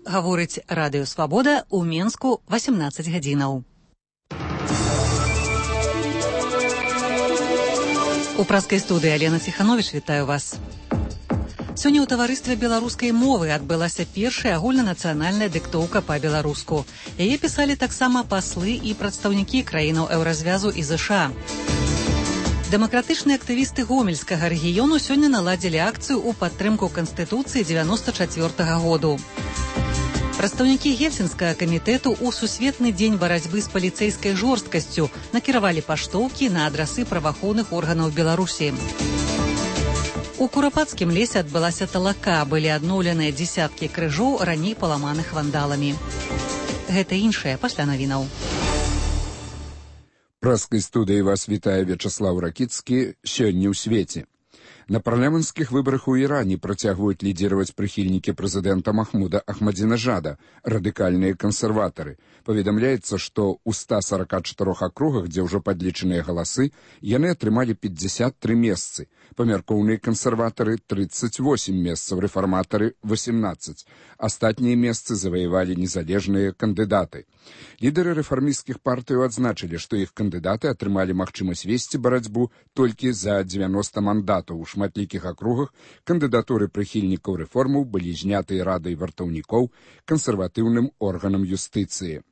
гаворыць Радыё Свабода ў Менску 18 гадзінаў. У праскай студыі Алена Ціхановіч вітаю вас. Сёння ў таварыстве беларускай мовы адбылася першая агульнанацыянальная дыктоўка па-беларуску. Яе пісалі таксама паслы і прадстаўнікі краінаў еўразвязу і ЗША. Дэмакратычныя актывісты гомельскага рэгіёну сёння наладзілі акцыю ў падтрымку Канстытуцыі 94-го году. Прадстаўнікі Гельсінскага камітэту ў Сусветны дзень барацьбы з паліцэйскай жорсткасцю накіравалі паштоўкі на адрасы праваахоўных органаў Беларусі. У Курапацкім лесе адбылася талака, былі адноўленыя дзесяткі крыжоў, раней паламаных вандаламі. Гэта іншае пасля навінаў. Праскай студыі вас вітае Вячаслаў Ракіцкі. Сёння ў свеце. На парламенцкіх выбарах у Іране працягваюць лідзіраваць прыхільнікі прэзідэнта Махмуда Ахмадзінежада, радыкальныя кансерватары. Паведамляецца, што ў 144 акругах, дзе ўжо падлічаныя галасы, яны атрымалі 53 месцы. Памяркоўныя кансерватары 38 месцаў, рэфарматары 18. Астатнія месцы заваявалі незалежныя кандыдаты. Лідары рэфармісцкіх партыяў адзначылі, што іх кандыдаты атрымалі магчымасць весці барацьбу толькі за 90 мандатаў. У шматлікіх акругах кандыдатуры прыхільнікаў рэформаў былі знятыя радай вартаўнікоў, кансерватыўным органам юстыцыі.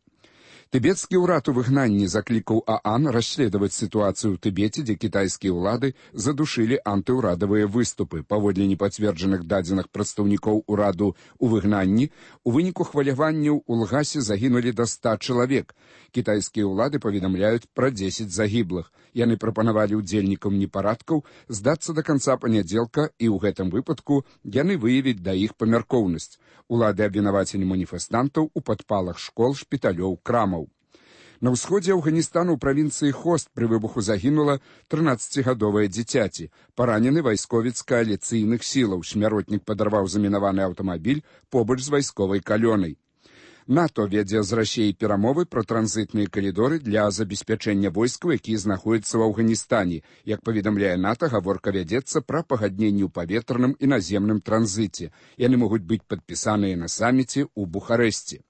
Тыбецкі ўрад у выгнанні заклікаў ААН расследаваць сітуацыю ў Тыбеце, дзе кітайскія ўлады задушылі антыўрадавыя выступы. Паводле непацверджаных дадзеных прадстаўнікоў ураду ў выгнанні, у выніку хваляванняў у Лгасе загінулі да 100 чалавек. Кітайскія ўлады паведамляюць пра 10 загіблых. Яны прапанавалі ўдзельнікам непарадкаў здацца да канца панядзелка, і ў гэтым выпадку яны выявяць да іх памяркоўнасць. Улады абвінавацілі маніфестантаў у падпалах школ, шпіталёў, крамаў. На ўсходзе Афганістану ў правінцыі Хост пры выбуху загінула 13-гадовае дзіцяці. Паранены вайсковец кааліцыйных сілаў. Смяротнік падарваў замінаваны аўтамабіль побач з вайсковай калёнай. НАТО вядзе з Расіяй перамовы пра транзітныя калідоры для забеспячэння войскаў, якія знаходзяцца ў Афганістане. Як паведамляе НАТО, гаворка вядзецца пра пагадненні ў паветраным і наземным транзіце. Яны могуць быць падпісаныя на саміце ў Бухарэсце.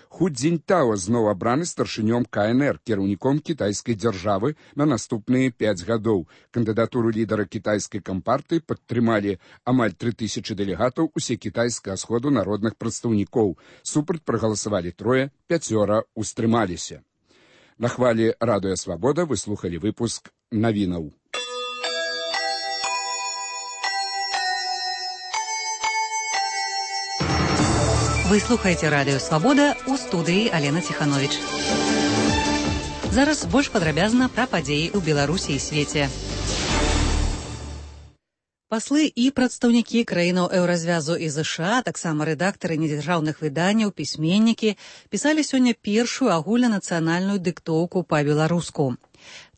Ху Цзіньтао зноў абраны старшынём КНР, кіраўніком кітайскай дзяржавы на наступныя 5 гадоў. Кандыдатуру лідара кітайскай кампартыі падтрымалі амаль 3000 дэлегатаў усекітайскага сходу народных прадстаўнікоў. Супраць прагаласавалі 3, 5 устрымаліся. На хвалі Радыё Свабода вы слухалі выпуск навінаў. Вы слухаеце Радыё Свабода, у студыі Алена Ціхановіч. Зараз больш падрабязна пра падзеі ў Беларусі і свеце. Паслы і прадстаўнікі краінаў еўразвязу і ЗША, таксама рэдактары недзяржаўных выданняў, пісьменнікі, пісалі сёння першую агульнанацыянальную дыктоўку па-беларуску.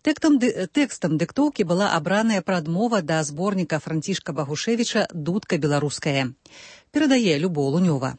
Тэкстам дыктоўкі была абраная прадмова да зборніка Францішка Багушевіча «Дудка беларуская». Перадае Любоў Лунёва.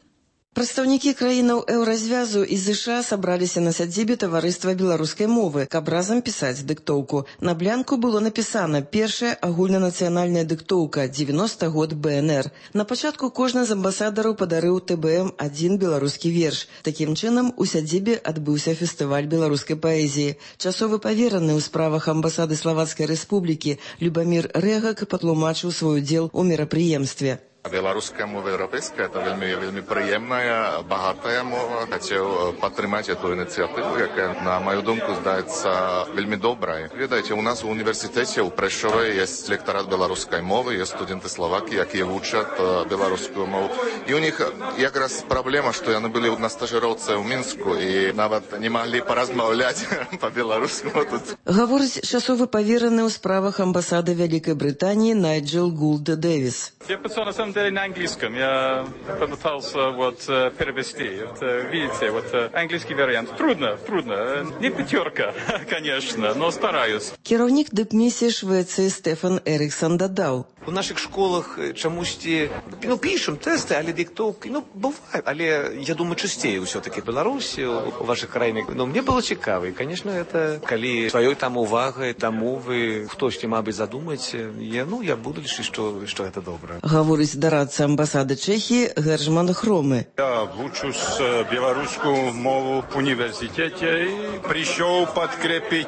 Прадстаўнікі краінаў еўразвязу і ЗША сабраліся на сядзібе таварыства беларускай мовы, каб разам пісаць дыктоўку. На блянку было напісана «Першая агульнанацыянальная дыктоўка, 90 год БНР». На пачатку кожны з амбасадараў падарыў ТБМ адзін беларускі верш. Такім чынам, у сядзібе адбыўся фестываль беларускай паэзіі. Часовы павераны ў справах амбасады Славацкай Рэспублікі Любамір Рэгак патлумачыў свой удзел у мерапрыемстве. Беларуская мова еўрапейская – это вельмі прыемная, багатая мова. Хацеў падтрымаць эту ініцыятыву, якая, на маю думку, здаецца вельмі добрай. Ведаеце, у нас у універсітэце ў Прэшове ёсць лектарат беларускай мовы, ёсць студэнты славакі, якія вучаць беларускую мову. І у них якраз праблема, што яны былі на стажыроўцы ў Мінску і нават не маглі паразмаўляць па-беларуску тут. Гаворыць часовы павераны ў справах амбасады Вялікай Брытаніі Найджел Гулд Дэвіс. На английском я попытался перевести. Видите, английский вариант. Трудно. Не 5, конечно, но стараюсь. Кіраўнік дыпмісіі Швецыі Стефан Эріксон дадаў. У наших школах чомусьці, пишем тесты, але диктовки, бывает. Але, я думаю, частее все-таки в Беларуси, у ваших краинах. Но мне было цікаво. И, конечно, это, коли своей там увагой, до мовы, хтось мабуть задумать, я буду лишь, что это добро. Говорить дорадца амбасады Чехии Гержман Хромы. Я вучусь белорусскую мову в университете и пришел подкрепить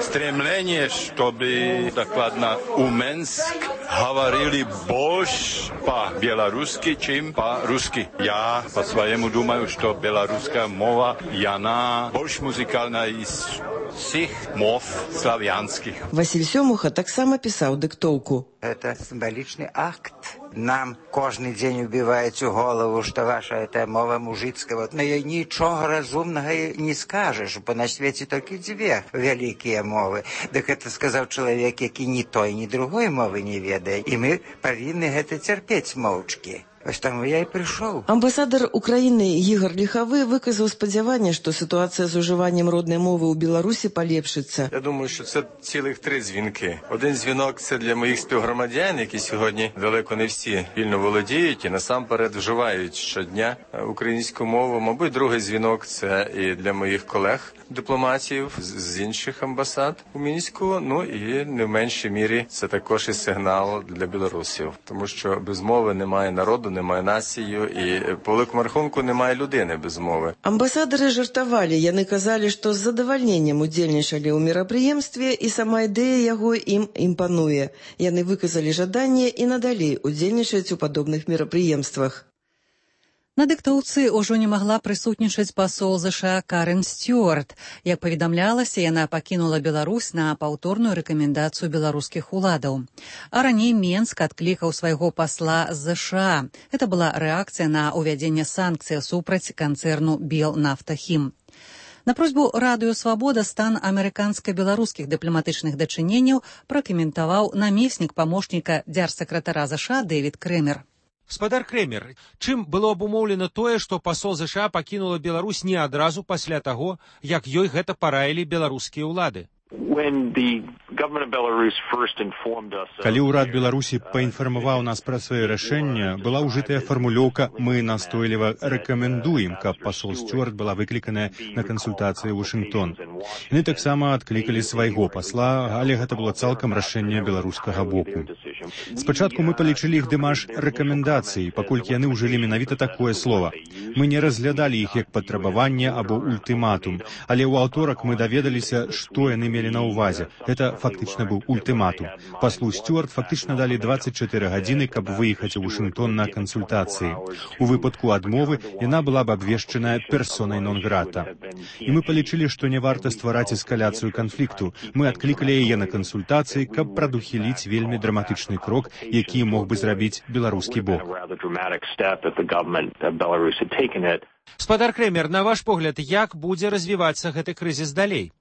стремление, чтобы докладно у Минск говорили больше по-белорусски, чем по-русски. Я по-своему думаю, что белорусская мова, и она больше музыкальная из всех мов славянских. Василь Сёмуха таксама пісаў дыктоўку. Это символичный акт. Нам кожный день убивает у голову, что ваша эта мова мужицкая. Но ей ничего разумного не скажешь, бо на свете только две великие мовы. Так это сказал человек, який ни той, ни другой мовы не ведает. И мы повинны это терпеть молчки. Ось там я і прийшов. Амбасадар Украіны Ігор Ліхавы выказаў спадзяванне, што ситуація з уживанням родної мови у Білорусі поліпшиться. Я думаю, що це цілих 3 дзвінки. Один дзвінок – це для моїх співгромадян, які сьогодні далеко не всі вільно володіють і насамперед вживають щодня українську мову. Мабуть, другий дзвінок – це і для моїх колег-дипломатів з інших амбасад у Мінську. І не в меншій мірі це також і сигнал для білорусів. Тому що без мови немає народу, немає націю, і по великому рахунку немає людини без мови. Амбасадары жартавалі, яны казалі, што з задавальненнем удзельнічалі ў мерапрыемстве і сама ідэя яго ім імпануе. Яны выказалі жаданне і надалей удзельнічаць у падобных мерапрыемствах. На дыктоўцы ўжо не магла прысутнічаць пасол ЗША Карен Стюарт. Як паведамлялася, яна пакінула Беларусь на паўторную рэкамендацыю беларускіх уладаў. А раней Менск адклікаў свайго пасла з ЗША. Гэта была рэакцыя на ўвядзенне санкцый супраць канцэрну «Белнафтахім». На просьбу Радыё Свабода стан амерыканска-беларускіх дыпламатычных дачыненняў пракаментаваў намеснік памочніка дзярсакратара ЗША Дэвід Крэмер. Гаспадар Крэмер, чым было абумоўлена тое, што пасол ЗША пакінула Беларусь не адразу пасля таго, як ёй гэта параілі беларускія ўлады? Калі ўрад Беларусі паінфармаваў нас пра сваё рашэнне, была ўжытая фармулёўка «Мы настойліва рэкамендуем», каб пасол Стюарт была выкліканая на кансультацыі ў Вашынгтон. Яны таксама адклікалі свайго пасла, але гэта было цалкам рашэнне беларускага боку. Спачатку мы палічылі іх дэмаш рэкамендацыі, паколькі яны ўжылі менавіта такое слова. Мы не разглядалі іх як патрабаванне або ультыматум, але ў аўторак мы даведаліся, што яны мелі на ўвазе. Гэта фактычна быў ультыматум. Паслу Стюарт фактычна далі 24 гадзіны, каб выехаць у Вашынгтон на кансультацыі. У выпадку адмовы яна была б абвешчаная персонай нон-грата. І мы палічылі, што не варта ствараць эскаляцыю канфлікту. Мы адклікалі яе на кансультацыі, каб прадухіліць вельмі драматычны крок, які мог бы зрабіць беларускі бок. Гаспадар Крэмер, на ваш погляд, як будзе развівацца гэты крызіс далей?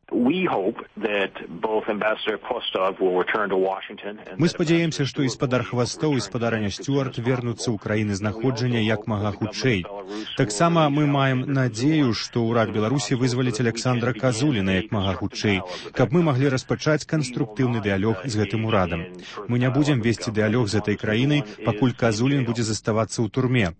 Мы спадзяемся, што і спадар Хвастоў і спадарня Стюарт вернуцца ў краіны знаходжання як мага хутчэй. Таксама мы маем надзею, што ўрад Беларусі вызваліць Александра Казуліна як мага хутчэй, каб мы маглі распачаць канструктыўны дыялог з гэтым урадам. Мы не будзем весці дыялог з гэтай краінай, пакуль Казулін будзе заставацца ў турме.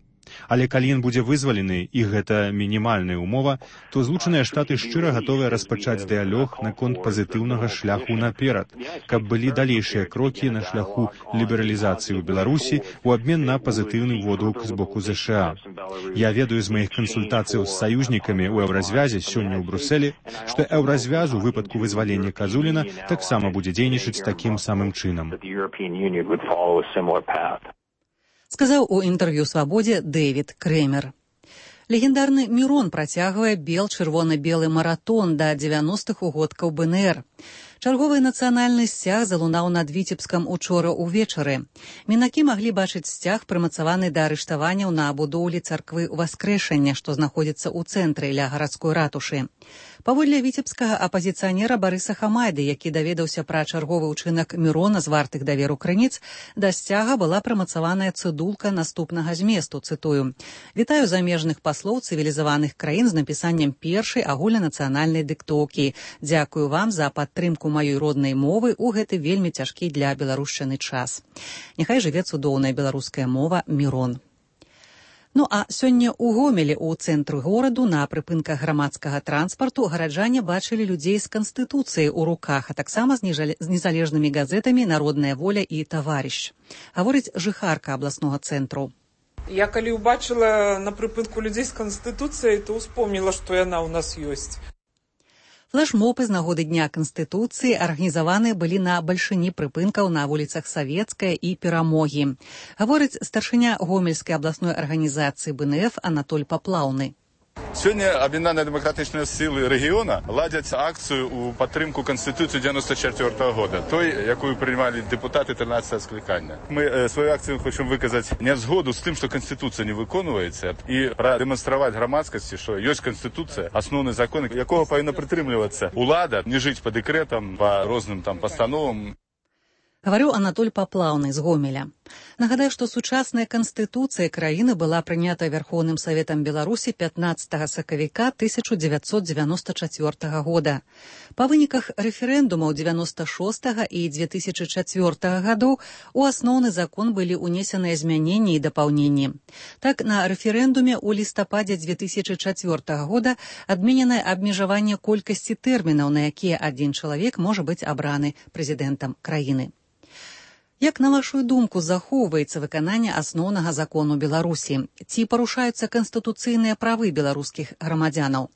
Але калі ён будзе вызвалены, і гэта мінімальная ўмова, то Злучаныя Штаты шчыра гатовыя распачаць дыялог наконт пазітыўнага шляху наперад, каб былі далейшыя крокі на шляху лібералізацыі ў Беларусі ў абмен на пазітыўны водгук з боку ЗША. Я ведаю з маіх кансультацыяў з саюзнікамі ў Еўразвязе сёння ў Брусэлі, што Еўразвяз у выпадку вызвалення Казуліна таксама будзе дзейнічаць такім самым чынам. Сказаў у інтэрв'ю «Свабодзе» Дэвід Крэмер. Легендарны Мірон працягвае бел-чырвона-белы маратон да 90-х угодкаў БНР. Чарговы нацыянальны сцяг залунаў над Віцебскам учора ўвечары. Мінакі маглі бачыць сцяг, прымацаваны да арыштаванняў на будоўлі царквы Васкрэшання, што знаходзіцца ў цэнтры ля гарадской ратушы. Паводле віцебскага апазіцыянера Барыса Хамайды, які даведаўся пра чарговы ўчынак Мірона з вартых даверу крыніц, да сцяга была прымацаваная цыдулка наступнага зместу, цытую: «Вітаю замежных паслоў цывілізаваных краін з напісаннем першай агульнанацыянальнай дыктоўкі. Дзякую вам за падтрымку маёй роднай мовы ў гэты вельмі цяжкі для беларушчыны час. Няхай жыве цудоўная беларуская мова Мірон». Ну а сёння ў Гомелі, у цэнтры гораду, на прыпынках грамадскага транспарту гараджане бачылі людзей з Канстытуцыяй у руках, а таксама з незалежнымі газетамі «Народная воля» і «Таварыш». Гаворыць жыхарка абласнога цэнтру. Я калі ўбачыла на прыпынку людзей з Канстытуцыяй, то ўспомніла, што яна ў нас ёсць. Флэшмобы з нагоды Дня Канстытуцыі арганізаваныя былі на бальшыні прыпынкаў на вуліцах Савецкая і Перамогі. Гаворыць старшыня Гомельскай абласной арганізацыі БНФ Анатоль Паплаўны. Сёння аб'яднаныя дэмакратычныя сілы рэгіёна ладзяць акцыю ў падтрымку Канстытуцыі 94-го года, той, якую прымалі дэпутаты 13-го склікання. Мы сваю акцыю хочам выказаць нязгоду з тым, што Канстытуцыя не выконваецца, і прадэманстраваць грамадскасці, што ёсць Канстытуцыя, асноўны закон, якога павінна прытрымлівацца ўлада, не жыць па дэкрэтам, па розным там пастановам. Гаварыў Анатоль Паплаўны з Гомеля. Нагадаю, што сучасная канстытуцыя краіны была прынята Вярхоўным Саветам Беларусі 15 сакавіка 1994 года. Па выніках рэферэндумаў 96 і 2004 гадоў у асноўны закон былі ўнесеныя змяненні і дапаўненні. Так, на рэферэндуме ў лістападзе 2004 года адмененае абмежаванне колькасці тэрмінаў, на якія адзін чалавек можа быць абраны прэзідэнтам краіны. Як, на вашу думку, захоўваецца выкананне асноўнага закону Беларусі? Ці парушаюцца канстытуцыйныя правы беларускіх грамадзянаў?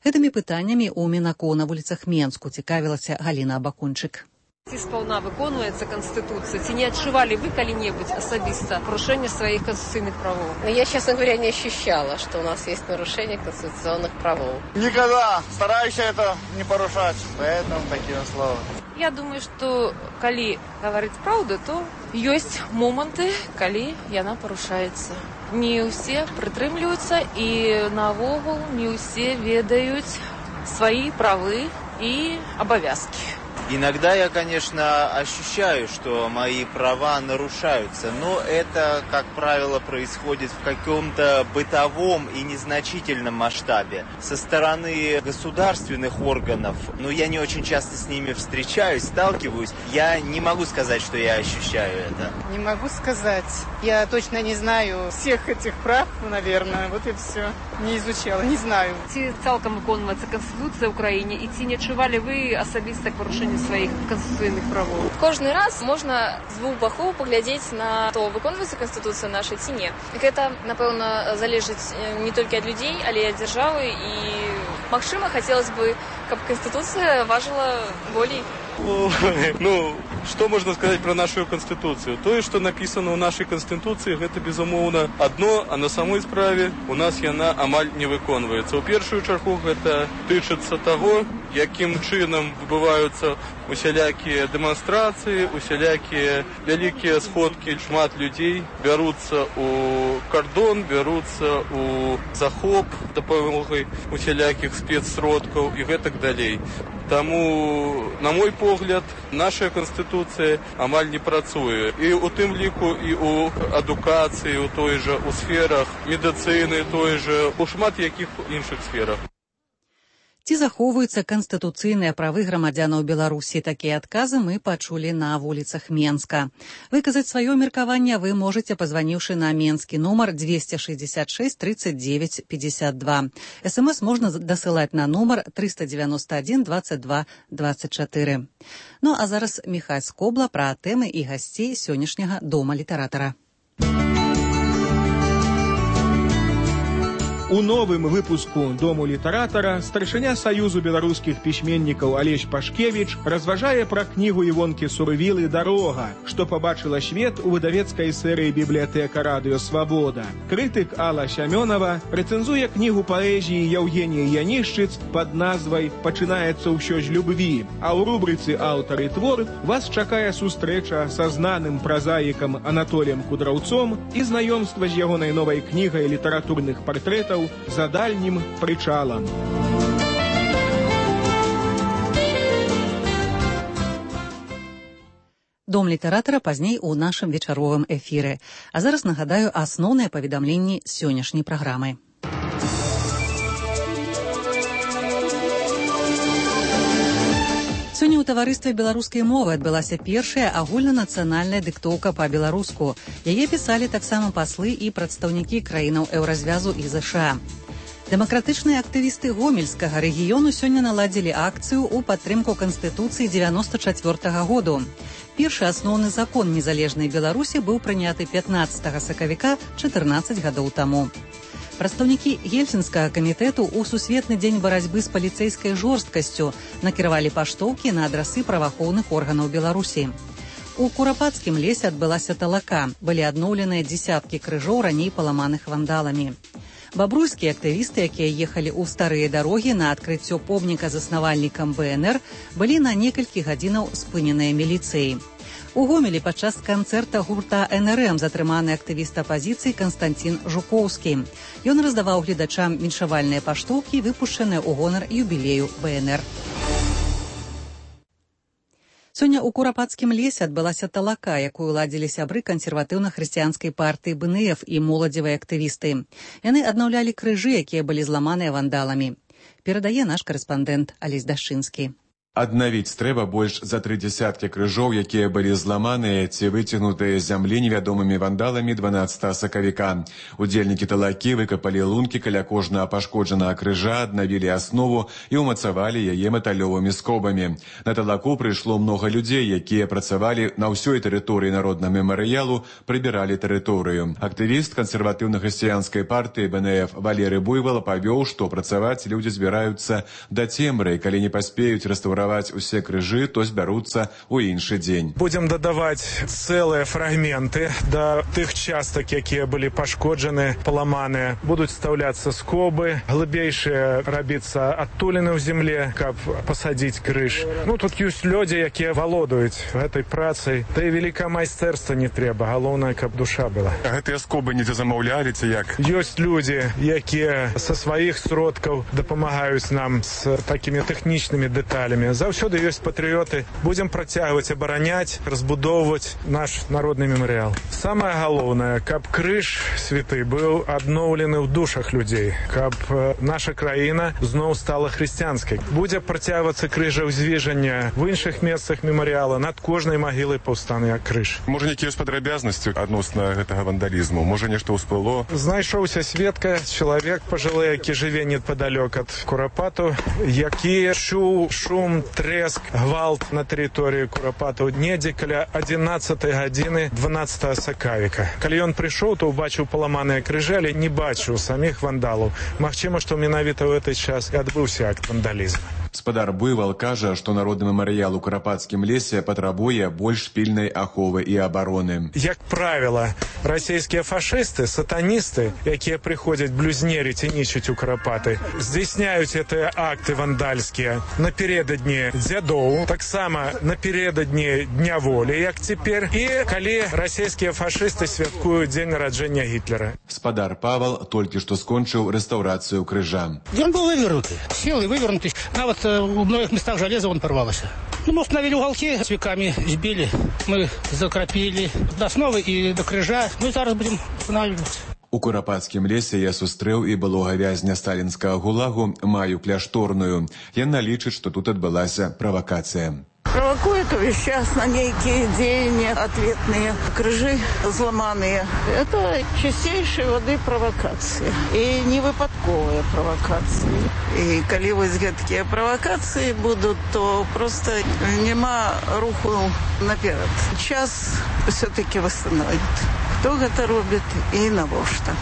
Гэтымі пытаннямі ў Мінаку на вуліцах Менску цікавілася Галіна Абакунчык. Ці сполна выконваецца Конституция? Ці не отчували вы когда-нибудь особисто нарушение своих конституционных правов? Я, честно говоря, не ощущала, что у нас есть нарушение конституционных правов. Никогда. Стараюсь это не порушать. Поэтому такие слова. Я думаю, что коли говорить правду, то есть моменты, коли яна порушается. Не все прытрымліваюцца и навогул не все ведают свои правы и обовязки. Иногда я, конечно, ощущаю, что мои права нарушаются, но это, как правило, происходит в каком-то бытовом и незначительном масштабе. Со стороны государственных органов, но я не очень часто с ними встречаюсь, сталкиваюсь, я не могу сказать, что я ощущаю это. Не могу сказать. Я точно не знаю всех этих прав, наверное, вот и все. Не изучала, не знаю. Ці цалкам выконваецца Конституция Украине, и ці не адчували вы особисто к порушению своих конституционных правов? Кожны раз можна з двух бакоў паглядзець на то, выконваецца Конституцыя наша ці не. Гэта, напэўна, залежыць не толькі ад людзей, але і ад дзяржавы, і, магчыма, хацелось бы, каб Конституция важила болей. Ну, что можно сказать про нашу Конституцию? То, что написано в нашей Конституции, это, безумоўна, одно, а на самой справе у нас яна амаль не выконваецца. У першую чаргу гэта тычыцца таго, якім чынам адбываюцца усялякія дэманстрацыі, усялякія вялікія сходкі, шмат людзей бяруцца у кардон, бяруцца у захоп дапамогай усялякіх спецсродкаў і гэтак далей. Таму, на мой погляд, наша Конституцыя амаль не працуе. І у тым ліку і у адукацыі, у той жа, у сферах медыцыны, той жа, у шмат якіх іншых сферах. Ці захоўваюцца канстытуцыйныя правы грамадзянаў Беларусі? Такія адказы мы пачулі на вуліцах Менска. Выказаць сваё меркаванне вы можаце, пазваніўшы на менскі нумар 266 39 52. СМС можна дасылаць на нумар 391 22 24. Ну а зараз Міхась Скобла пра тэмы і гасцей сённяшняга Дома літаратара. У новым выпуску «Дому літаратара» старшыня Саюзу беларускіх пісьменнікаў Алесь Пашкевіч разважае пра кнігу Івонкі Сурывілы «Дарога», што пабачыла свет у выдавецкай серыі «Бібліятэка радыё Свабода». Крытык Алла Сямёнова рэцэнзуе кнігу паэзіі Яўгеніі Янішчыц пад назвай «Пачынаецца ўсё з любві», а ў рубрыцы «Аўтар і твор» вас чакае сустрэча са знаным празаікам Анатоліем Кудраўцом і знаёмства з ягонай новай кнігай літаратурных партрэтаў «За дальнім прычалам». Дом літаратара пазней у нашым вечаровым эфіры. А зараз нагадаю асноўныя паведамленні сённяшняй праграмы. Сёння ў таварыстве беларускай мовы адбылася першая агульнанацыянальная дыктоўка па-беларуску. Яе пісалі таксама паслы і прадстаўнікі краінаў еўразвязу і ЗША. Дэмакратычныя актывісты гомельскага рэгіёну сёння наладзілі акцыю ў падтрымку Канстытуцыі 94-го году. Першы асноўны закон незалежнай Беларусі быў прыняты 15 сакавіка 14 гадоў таму. Прадстаўнікі Гельсінскага камітэту ў Сусветны дзень барацьбы з паліцэйскай жорсткасцю накіравалі паштоўкі на адрасы праваахоўных органаў Беларусі. У Курапацкім лесе адбылася талака. Былі адноўленыя дзесяткі крыжоў, раней паламаных вандаламі. Бабруйскія актывісты, якія ехалі ў старыя дарогі на адкрыццё помніка заснавальнікам БНР, былі на некалькі гадзінаў спыненыя міліцыяй. У Гомелі падчас канцэрта гурта НРМ затрыманы актывіст апазіцыі Канстантин Жукоўскі. Ён раздаваў гледачам віншавальныя паштоўкі, выпушчаныя ў гонар юбілею БНР. Сёння ў Курапацкім лесе адбылася талака, якую ладзілі сябры кансерватыўна-хрысціянскай партыі БНФ і моладзевыя актывісты. Яны аднаўлялі крыжы, якія былі зламаныя вандаламі. Перадае наш карэспандэнт Алесь Дашчынскі. Аднавіць трэба больш за 3 дзесяткі крыжоў, якія былі зламаныя ці выцягнутыя з зямлі невядомымі вандаламі 12 сакавіка. Удзельнікі талакі выкапалі лункі каля кожнага пашкоджанага крыжа, аднавілі аснову і ўмацавалі яе металёвымі скобамі. На талаку прыйшло многа людзей, якія працавалі на ўсёй тэрыторыі народнага мемарыялу, прыбіралі тэрыторыю. Актывіст кансерватыўна-хрысціянскай партыі БНФ Валерый Буйвол павёў, што працаваць людзі збіраюцца да цемры, калі не паспеюць рэстаўраваць усе крыжы, то збяруцца ў іншы дзень. Будзем дадаваць цэлыя фрагменты да тых частак, якія былі пашкоджаны, паламаныя. Будуць стаўляцца скобы, глыбейшыя рабіцца адтуліны ў земле, каб пасадзіць крыж. Тут ёсць людзі, якія валодаюць гэтай працай. Да і вялікае майстэрства не трэба, галоўнае, каб душа была. Гэтыя скобы недзе замаўлялі ці як? Ёсць людзі, якія са сваіх сродкаў дапамагаюць нам з такімі тэхнічнымі дэталямі. Заўсёды ёсць патрыёты. Будзем працягваць абараняць, разбудоўваць наш народны мемарыял. Самае галоўнае, каб крыж святы быў адноўлены ў душах людзей, каб наша краіна зноў стала хрысціянскай. Будзе працягвацца крыжаўзвіжання в іншых месцах мемарыяла, над кожнай магілай паўстане крыж. Можа, нейкія падрабязнасці адносна гэтага вандалізму? Можа, нешта ўсплыло? Знайшоўся сведка, чалавек пажылы, які жыве непадалёк ад Курапату, які чуў шум, трэск, гвалт на тэрыторыі Курапату недзе каля 11 гадзіны 12 сакавіка. Калі ён прыйшоў, то ўбачыў паламаныя крыжы, але не бачыў саміх вандалаў. Магчыма, што менавіта ў гэты час і адбыўся акт вандалізму. Спадар Буйвол кажа, што народны мемарыял у Курапацкім лесе патрабуе больш пільнай аховы і абароны. Як правіла, расійскія фашысты, сатаністы, якія прыходзяць блюзнерыць і нічыць у Курапаты, здзяйсняюць гэтыя акты вандальскія напередадні дзядоў, таксама напередадні Дня волі, як цяпер, і калі расійскія фашысты святкуюць дзень нараджэння Гітлера. Спадар Павел толькі што скончыў рэстаўрацыю крыжа. Ён быў вывернуты, сілы вывернуты. Нават у многих местах железо он порвалось. Мы установили уголки, с веками сбили, мы закрапили до основы и до крыжа. Мы зараз будем устанавливать. У Курапацкім лесе я сустрэў і былога вязня сталінскага гулагу Маю Кляшторную. Яна лічыць, што тут адбылася правакацыя. Провокует увесь час на некие деяния ответные, крыжи взломанные. Это чистейшей воды провокации. И не выпадковые провокации. И коли вось гэткія провокации будут, то просто нема руху наперед. Час все-таки восстановит. Кто гэта робіць і навошта.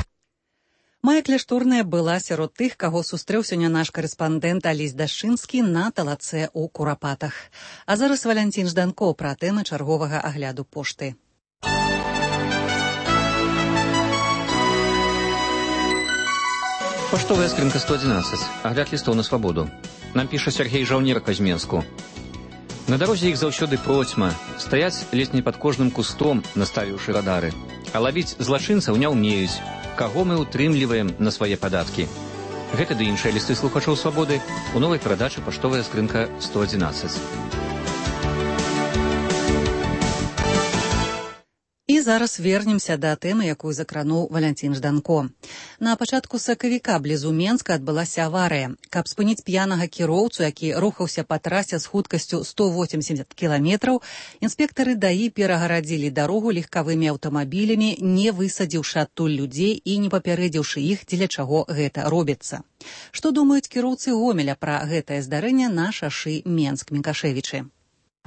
Мая Кляшторная была сярод тых, каго сустрэў сёння наш карэспандэнт Алесь Дашчынскі на талацэ ў Курапатах. А зараз Валянцін Жданко пра тэмы чарговага агляду пошты. Паштовая скрынка 111. Агляд лістоў на свабоду. Нам піша Сергей Жаўнер Казьменску. На дарозе іх заўсёды процьма. Стаяць ледзь не пад кожным кустом, наставіўшы радары. А лавіць злачынцаў не ўмеюць. Каго мы утрымліваем на свае падаткі. Гэта ды іншыя лісты слухачоў свабоды у новай перадачы «Паштовая скрынка 111». І зараз вернемся да тэмы, якую закрануў Валянцін Жданко. На пачатку сакавіка блізу Менска адбылася аварыя. Каб спыніць п'янага кіроўцу, які рухаўся па трасе з хуткасцю 180 кіламетраў, інспектары ДАІ перагарадзілі дарогу легкавымі аўтамабілямі, не высадзіўшы адтуль людзей і не папярэдзіўшы іх, дзеля чаго гэта робіцца. Што думаюць кіроўцы Гомеля пра гэтае здарэнне на шашы Менск-Минкашевичи?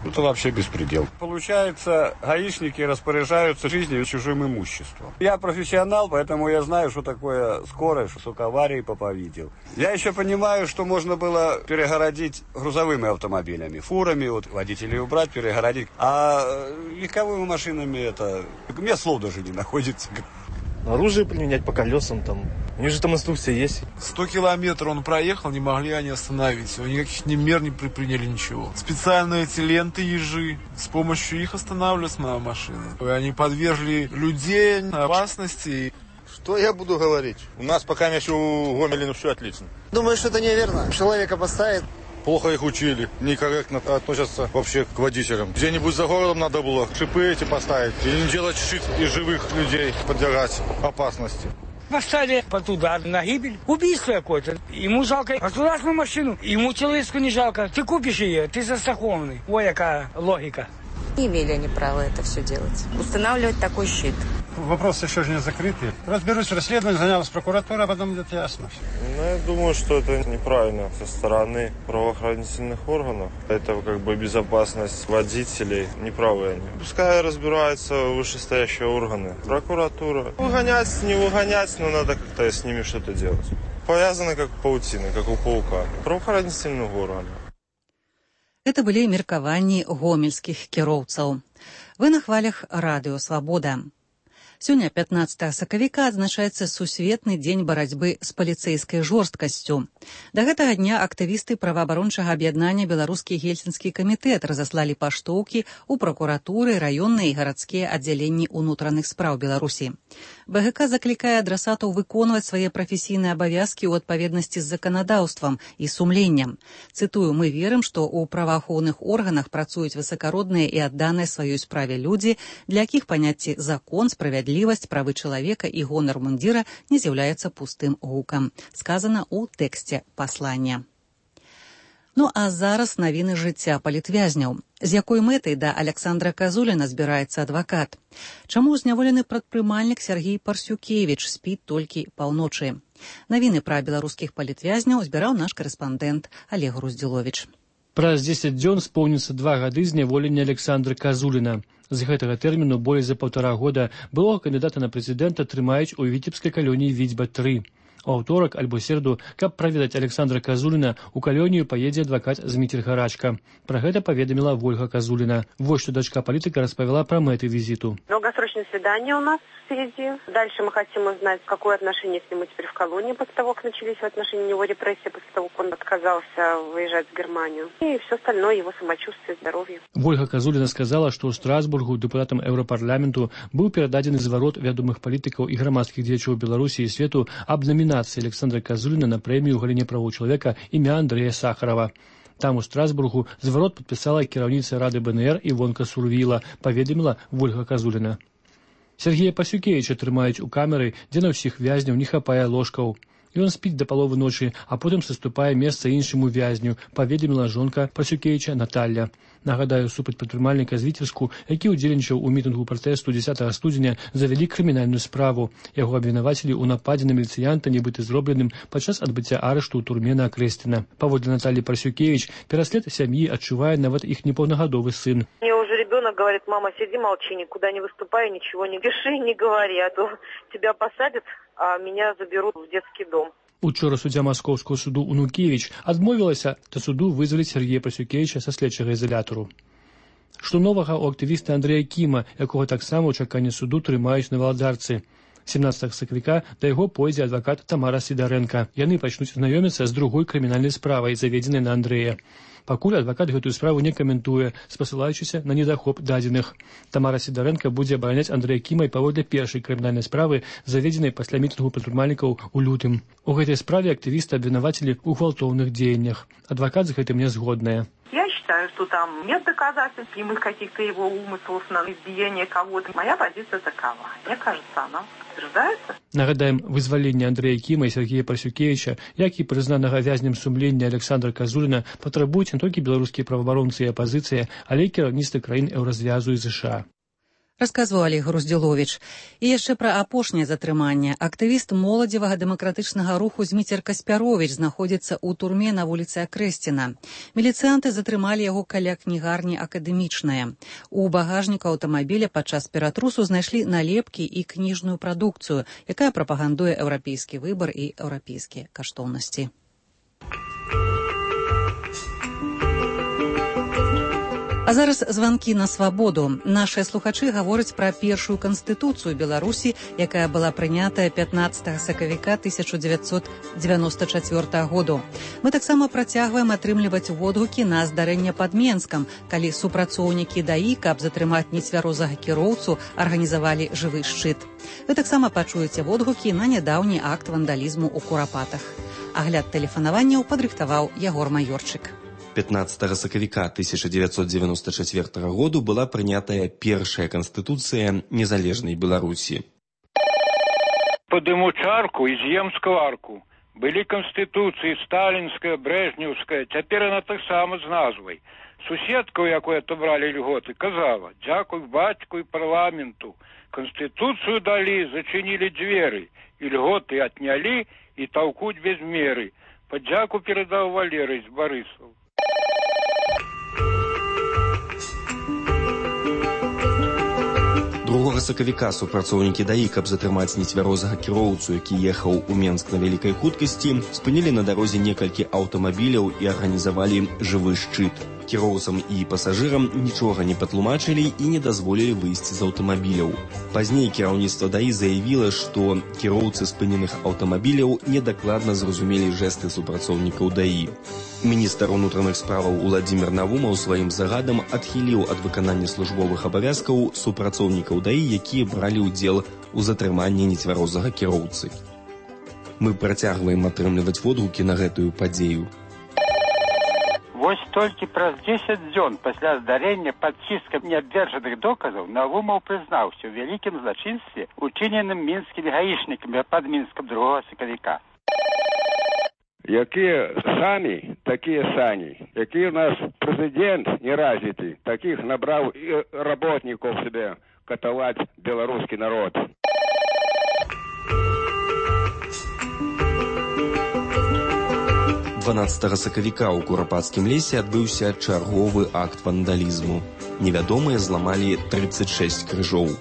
Это вообще беспредел. Получается, гаишники распоряжаются жизнью и чужим имуществом. Я профессионал, поэтому я знаю, что такое скорость, сколько аварий Попа видел. Я еще понимаю, что можно было перегородить грузовыми автомобилями, фурами, вот водителей убрать, перегородить. А легковыми машинами это... У меня слов даже не находится. Оружие применять по колесам там. У них же там инструкция есть. 100 километров он проехал, не могли они остановить. Никаких ни мер не предприняли, ничего. Специальные эти ленты ежи. С помощью их останавливалась моя машина. Они подвергли людей опасности. Что я буду говорить? У нас пока еще у Гомеля все отлично. Думаю, что это неверно. Человека поставит. Плохо их учили, некорректно относятся вообще к водителям. Где-нибудь за городом надо было шипы эти поставить и не делать щит из живых людей, подвергать опасности. Поставили под удар на гибель. Убийство какое-то. Ему жалко государственную машину, ему человеческую не жалко. Ты купишь ее, ты застрахованный. Ой, какая логика. Не имели они права это все делать. Устанавливать такой щит. Вопрос еще же не закрытый. Разберусь в расследовании, занялась прокуратура, а потом будет ясно. Ну, я думаю, что это неправильно со стороны правоохранительных органов. Это как бы безопасность водителей. Неправы они. Пускай разбираются вышестоящие органы. Прокуратура. Выгонять, не выгонять, но надо как-то с ними что-то делать. Повязаны как паутина, как у паука. Правоохранительных органов. Это былі меркаванні гомельскіх кіроўцаў. Вы на хвалях радыё «Свабода». Сёння, 15 сакавіка, адзначаецца сусветны дзень барацьбы з паліцэйскай жорсткасцю. Да гэтага дня актывісты праваабарончага аб'яднання «Беларускі гельсінскі камітэт» разаслалі паштоўкі ў пракуратуры, раённыя і гарадскія аддзяленні ўнутраных спраў Беларусі. БГК заклікае адрасатаў выконваць свае прафесійныя абавязкі ў адпаведнасці з заканадаўствам і сумленнем. Цытую, мы верым, што ў праваахоўных органах працуюць высакародныя і адданыя сваёй справе людзі, для якіх паняцці закон, справядлівасць, правы чалавека і гонар мундзіра не з'яўляецца пустым гукам. Сказана ў тэксце паслання. Ну а зараз навіны жыцця палітвязняў. З якой мэтай да Александра Казуліна збіраецца адвакат? Чаму зняволены прадпрымальнік Сергей Парсюкевіч спіць толькі паўночы? Навіны пра беларускіх палітвязняў збіраў наш карэспандэнт Олег Груздзіловіч. Праз 10 дзён споўніцца 2 гады зняволення Александра Казуліна. З гэтага тэрміну болей за 1,5 года былога кандыдата на прэзідэнта трымаюць у віцебскай калоніі Віцьба-3. У аўторак альбо серду, каб праведаць Александра Казуліна, у калонію паедзе адвакат Зміцер Гарачка. Пра гэта паведаміла Вольга Казуліна. Вот что дочка политика распавяла про мэты визиту. Долгосрочное свидание у нас впереди. Дальше мы хотим узнать, какое отношение с ним теперь в колонии после того, как начались в отношении него репрессии, после того, как он отказался выезжать в Германию. И все остальное, его самочувствие, здоровье. Вольга Казуліна сказала, што ў Страсбургу дэпутатам Еўрапарламенту быў перададзены зварот вядомых палітыкаў і грамадскіх дзеячоў Беларусі і свету аб номинации Александра Казуліна на премию ў галіне правоў чалавека імя Андрэя Сахарова. Там у Страсбургу зварот подписала кіраўніца Рады БНР Івонка Сурвіла, паведаміла Вольга Казуліна. Сергея Парсюкевіча трымаюць у камеры, дзе на ўсіх вязняў не хапае ложкаў. Ён спіць да паловы ночы, а потым саступае месца іншаму вязню, паведаміла жонка Парсюкевіча Наталля. Нагадаю, супраць прадпрымальніка з Віцебску, які ўдзельнічаў у мітынгу пратэсту 10 студзеня, завялі крымінальную справу. Яго абвінавацілі ў нападзе на міліцыянта, нібыта зробленым падчас адбыцця арышту ў турме на Акрэсціна. Паводле Натальи Парсюкевич, пераслед сям'і адчувае нават іх непаўнагадовы сын. Мне уже ребенок говорит: мама, сиди, молчи, никуда не выступай, ничего не пиши, не говори, а то тебя посадят, а меня заберут в детский дом. Учора суддзя Маскоўскага суду Унукевіч адмовілася да суду вызваліць Сергея Парсюкевіча са следчага ізалятару. Што новага ў актывіста Андрэя Кіма, якога таксама ў чаканні суду трымаюць на Валадарцы. 17 сакавіка да яго пойдзе адвакат Тамара Сідарэнка. Яны пачнуць знаёміцца з другой крымінальнай справай, заведзенай на Андрэя. Пакуль адвакат гэтую справу не каментуе, спасылаючыся на недахоп дадзеных. Тамара Сідарэнка будзе абараняць Андрэя Кіма і паводле першай крымінальнай справы, заведзенай пасля мітынгу прадпрымальнікаў у лютым. У гэтай справе актывіста абвінавацілі ў гвалтоўных дзеяннях. Адвакат з гэтым не згодная. Я считаю, что там нет доказательств прямых каких-то его умыслов на избиение кого-то. Моя позиция такова. Мне кажется, она подтверждается. Нагадаем, вызваленне Андрэя Кіма і Сергея Парасюкевіча, як і прызнанага вязнем сумлення Александра Казуліна, патрабуюць не толькі беларускія праваабаронцы і апазіцыя, але і кіраўніцтва краін Еўразвязу і ЗША. Расказваў Олег Груздзіловіч. І яшчэ пра апошняе затрыманне. Актывіст моладзевага дэмакратычнага руху Зміцер Каспяровіч знаходзіцца ў турме на вуліцы Акрэсціна. Міліцыянты затрымалі яго каля кнігарні «Акадэмічная». У багажніку аўтамабіля падчас ператрусу знайшлі налепкі і кніжную прадукцыю, якая прапагандуе еўрапейскі выбар і еўрапейскія каштоўнасці. А зараз званкі на свабоду. Нашыя слухачы гавораць пра першую канстытуцыю Беларусі, якая была прынятая 15 сакавіка 1994 году. Мы таксама працягваем атрымліваць водгукі на здарэнне пад Менскам, калі супрацоўнікі ДАІ, каб затрымаць нецвярозага кіроўцу, арганізавалі жывы шчыт. Вы таксама пачуеце водгукі на нядаўні акт вандалізму ў Курапатах. Агляд тэлефанаванняў падрыхтаваў Ягор Майорчык. 15 сакавіка 1994 году была прынятая першая канстытуцыя незалежнай Беларусі. Падыму чарку і з'ем скварку. Былі канстытуцыі сталінская, брэжнеўская, цяпер яна таксама з назвай. Суседка, у якой атобралі льготы, казала: «Дзякуй бацьку і парламенту. Канстытуцыю далі, зачынілі дзверы, і льготы аднялі, і таўкуць без меры. Падзяку перадаў Валерый з Барысаў». 2 сакавіка супрацоўнікі ДАІ, каб затрымаць нецвярозага кіроўцу, які ехаў у Менск на вялікай хуткасці, спынілі на дарозе некалькі аўтамабіляў і арганізавалі жывы шчыт. Кіроўцам і пасажырам нічога не патлумачылі і не дазволілі выйсці з аўтамабіляў. Пазней кіраўніцтва ДАІ заявіла, што кіроўцы спыненых аўтамабіляў недакладна зразумелі жэсты супрацоўнікаў ДАІ. Міністр унутраных справаў Уладзімір Навумаў сваім загадам адхіліў ад выканання службовых абавязкаў супрацоўнікаў ДАІ, якія бралі ўдзел у затрыманні нецвярозага кіроўцы. Мы працягваем атрымліваць водгукі на гэтую падзею. Вось толькі праз 10 дзён пасля здарэння пад ціскам неабверджаных доказаў Навумаў прызнаўся ў вялікім злачынстве, учыненым мінскімі гаішнікамі пад Мінскам 2 сакавіка. Якія самі, такія сані. Які у нас прэзідэнт неразвіты, такіх набраў і работнікаў себе катаваць беларускі народ. — 12 сакавіка ў Курапацкім лесе адбыўся чарговы акт вандалізму. Невядомыя зламалі 36 крыжоў.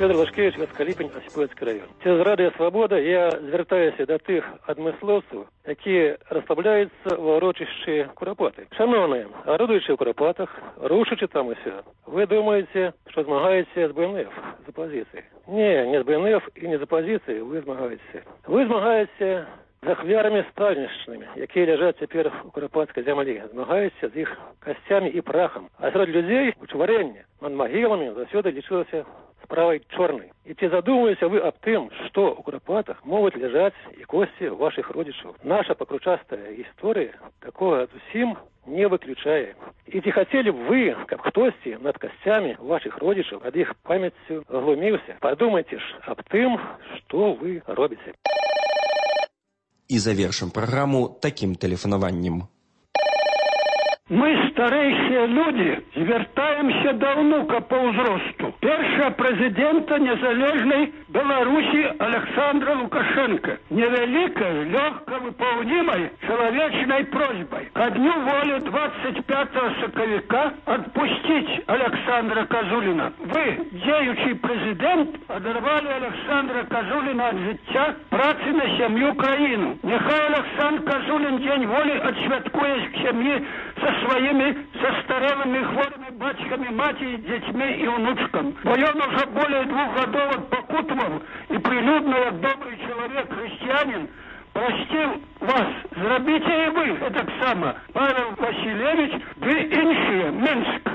Федор Лашкевич, Васкаліпень, Осіпоцький район. Цераз Радыё Свабода я звяртаюся да тых адмыслоўцаў, якія расслабляюцца ва ўрочышчы Курапаты. Шановныя, арудуючы ў Курапатах, рушачы там усё, вы думаеце, што змагаеце з БНФ, з апазіцыяй. Не з БНФ і не з апазіцыяй вы змагаеце. Вы змагаеце з ахвярамі сталіншчынамі, якія ляжаць цяпер у Курапацкай зямлі. Змагаеце з іх касцямі і прахам. А сярод людзей учварэнне над магіламі заўсёды лічылася справай чорнай. І ці задумваліся вы аб тым, што ў Курапатах могуць ляжаць і косці вашых родзічаў? Наша пакручастая гісторыя такога зусім не выключае. І ці хацелі б вы, каб хтосьці над касцямі вашых родзічаў ад іх памяццю глуміўся? Падумайце ж аб тым, што вы робіце. І завершым праграму такім тэлефанаваннем. Мы, старэйшыя людзі, звяртаемся да ўнука па ўзросту. Першага прэзідэнта незалежнай Беларусі Александра Лукашенко. Невялікай, лёгка выпаўнімай чалавечнай просьбай. Ко дню волі 25 сакавіка адпусціць Александра Казуліна. Вы, дзеючы прэзідэнт, адарвалі Александра Казуліна ад жыцця, працы на сям'ю краіну. Няхай Александр Казулін дзень волі адсвяткуе сям'і со старелыми хворыми бацьками, маці, дзецьми и внучкам. Бо ён уже более 2 годов отпокутывал и прилюдно, как добрый человек, христианин, простил вас. Зробите и вы это само. Павел Васильевич, вы іншие, Минск.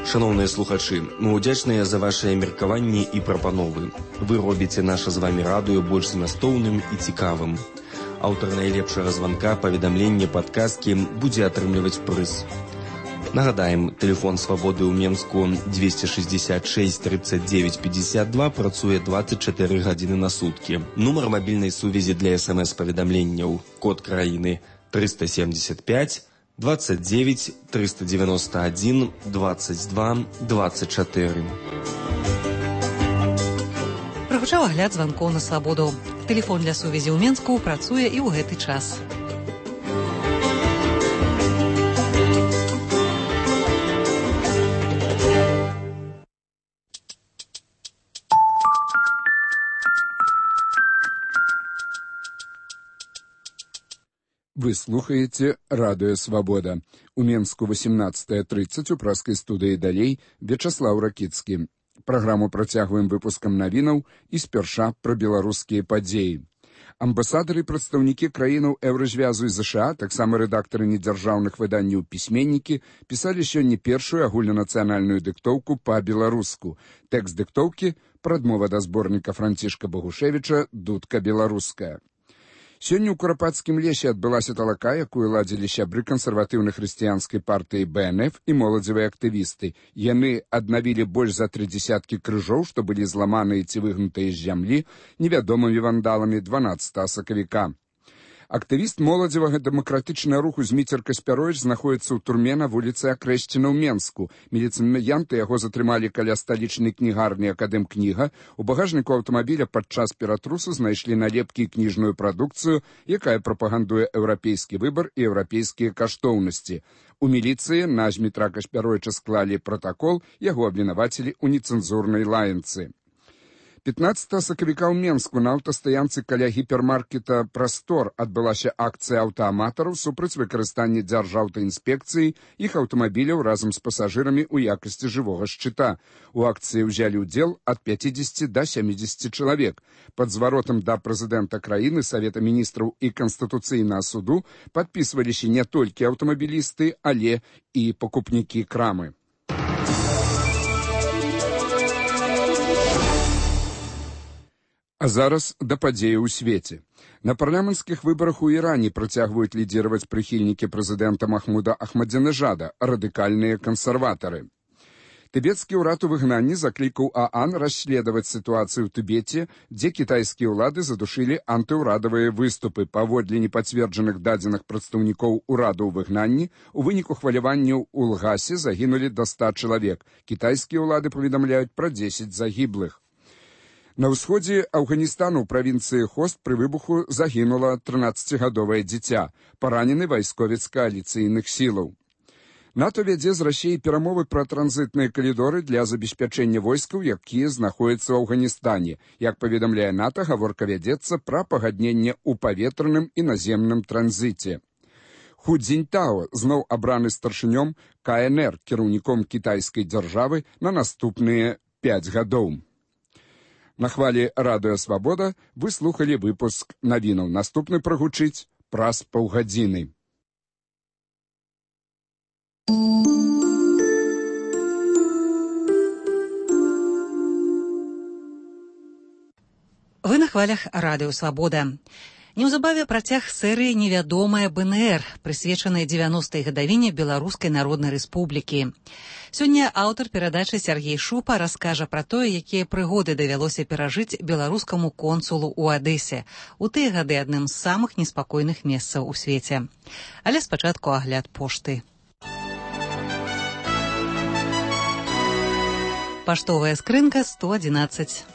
Шановныя слухачы, мы ўдзячныя за вашыя меркаванні і прапановы. Вы робіце наша з вамі радыё больш змястоўным і цікавым. Аўтар найлепшага званка, паведамлення, падказкі будзе атрымліваць прыз. Нагадаем, тэлефон свабоды ў Менску 266 39 52 працуе 24 гадзіны на суткі. Нумар мабільнай сувязі для СМС-паведамленняў, код краіны 375 29 391 22 24. Прагучаў агляд званкоў на свабоду. Тэлефон для сувязі ў Менску працуе і ў гэты час. Вы слухаете «Радио Свобода». У Менску 18:30 у праскай студыі далей Вячаслаў Ракіцкі. Праграму працягваем выпускам навінаў і спярша пра беларускія падзеі. Амбасадары і прадстаўнікі краінаў Еўразвязу і ЗША, таксама рэдактары недзяржаўных выданняў «Пісьменнікі», пісалі сёння першую агульнанацыянальную дыктоўку па-беларуску. Тэкст дыктоўкі – прадмова да зборніка Францішка Багушевіча «Дудка беларуская». Сёння ў Курапацкім лесе адбылася талака, якую ладзілі сябры кансерватыўна-хрысціянскай партыі БНФ і моладзевыя актывісты. Яны аднавілі больш за 30 крыжоў, што былі зламаныя ці выгнутыя з зямлі невядомымі вандаламі 12 сакавіка. Актывіст моладзевага дэмакратычнага руху Зміцер Каспяровіч знаходіцца ў турме на вуліцы Акрэшціна ў Менску. Міліцыянты яго затрымалі каля сталічнай кнігарні «Акадэмкніга». У багажніку аўтамабіля падчас ператрусу знайшлі налепкі і кніжную прадукцыю, якая прапагандуе еўрапейскі выбар і еўрапейскія каштоўнасці. У міліцыі на Змітра Каспяровіча склалі пратакол, яго абвінавацілі ў нецэнзурнай лаянцы. 15 сакавіка ў Менску на аўтастаянцы каля гіпермаркета «Прастор» адбылася акцыя аўтааматараў супраць выкарыстання дзяржаўтаінспекцыі іх аўтамабіляў разам з пасажырамі ў якасці жывога шчыта. У акцыі ўзялі ўдзел ад 50 да 70 чалавек. Пад зваротам да прэзідэнта краіны, Савета міністраў і Канстытуцыйнага суду падпісваліся не толькі аўтамабілісты, але і пакупнікі крамы. А зараз да падзеяў у свеце. На парламенцкіх выбарах у Іране працягваюць лідзіраваць прыхільнікі прэзідэнта Махмуда Ахмадзінежада, радыкальныя кансерватары. Тыбецкі ўрад у выгнанні заклікаў ААН расследаваць сітуацыю ў Тыбеце, дзе кітайскія ўлады задушылі антыўрадавыя выступы. Паводле непацверджаных дадзеных прадстаўнікоў урада ў выгнанні, у выніку хваляванняў у Лгасе загінулі да 100 чалавек. Кітайскія ўлады паведамляюць пра 10 загіблых. На ўсходзе Афганістану ў правінцыі Хост пры выбуху загінула 13-гадовае дзіця, паранены вайсковец кааліцыйных сілаў. НАТО вядзе з Расіяй перамовы пра транзітныя калідоры для забеспячэння войскаў, якія знаходзяцца ў Афганістане. Як паведамляе НАТО, гаворка вядзецца пра пагадненне ў паветраным і наземным транзіце. Ху Цзіньтао зноў абраны старшынём КНР, кіраўніком кітайскай дзяржавы на наступныя 5 гадоў. На хвалі «Радыё Свабода» вы слухалі выпуск навінаў. Наступны прагучыць праз паўгадзіны. Вы на хвалях «Радыё Свабода». Неўзабаве працяг серыі «Невядомая БНР», прысвечанай 90-й гадавіне Беларускай Народнай Рэспублікі. Сёння аўтар перадачы Сяргей Шупа раскажа пра тое, якія прыгоды давялося перажыць беларускаму консулу ў Адэсе. У тыя гады адным з самых неспакойных месцаў у свеце. Але спачатку агляд пошты. Паштовая скрынка 111.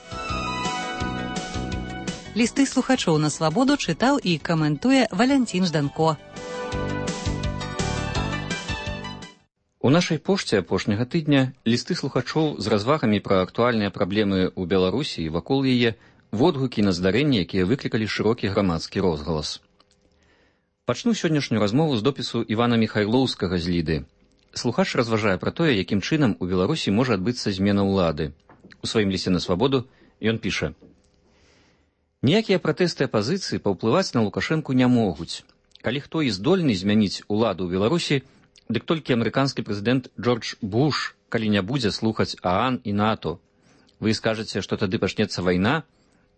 Лісты слухачоў на свабоду чытаў і каментуе Валянцін Жданко. У нашай пошце апошняга тыдня лісты слухачоў з развагамі пра актуальныя праблемы ў Беларусі і вакол яе, водгукі на здарэнні, якія выклікалі шырокі грамадскі розгалас. Пачну сённяшнюю размову з допісу Івана Міхайлоўскага з Ліды. Слухач разважае пра тое, якім чынам у Беларусі можа адбыцца змена ўлады. У сваім лісце на свабоду ён піша: «Ніякія пратэсты апазіцыі паўплываць на Лукашэнку не могуць. Калі хто і здольны змяніць уладу ў Беларусі, дык толькі амерыканскі прэзідэнт Джордж Буш калі не будзе слухаць ААН і НАТО. Вы скажаце, што тады пачнецца вайна?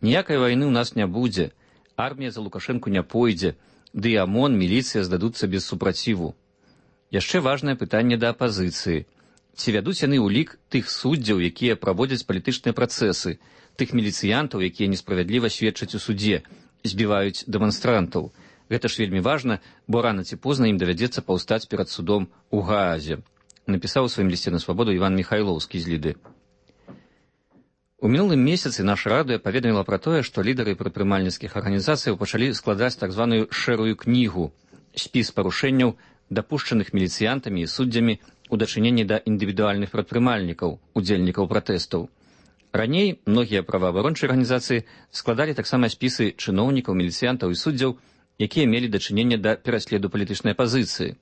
Ніякай вайны ў нас не будзе. Армія за Лукашэнку не пойдзе, ды і ОМОН, міліцыя здадуцца без супраціву. Яшчэ важнае пытанне да апазіцыі. Ці вядуць яны ў лік тых суддзяў, якія праводзяць палітычныя працэсы, тых міліцыянтаў, якія несправядліва сведчаць у судзе, збіваюць дэманстрантаў. Гэта ж вельмі важна, бо рана ці позна ім давядзецца паўстаць перад судом у Гаазе, напісаў у сваім лісце на свабоду Іван Міхайлоўскі з Ліды. У мінулым месяцы наша радыё паведаміла пра тое, што лідары прадпрымальніцкіх арганізацыяў пачалі складаць так званую шэрую кнігу, спіс парушэнняў, дапушчаных міліцыянтамі і суддзямі у дачыненні да індывідуальных прадпрымальнікаў, удзельнікаў пратэстаў. Раней многія праваабарончыя арганізацыі складалі таксама спісы чыноўнікаў, міліцыянтаў і суддзяў, якія мелі дачыненне да пераследу палітычнай апазіцыі.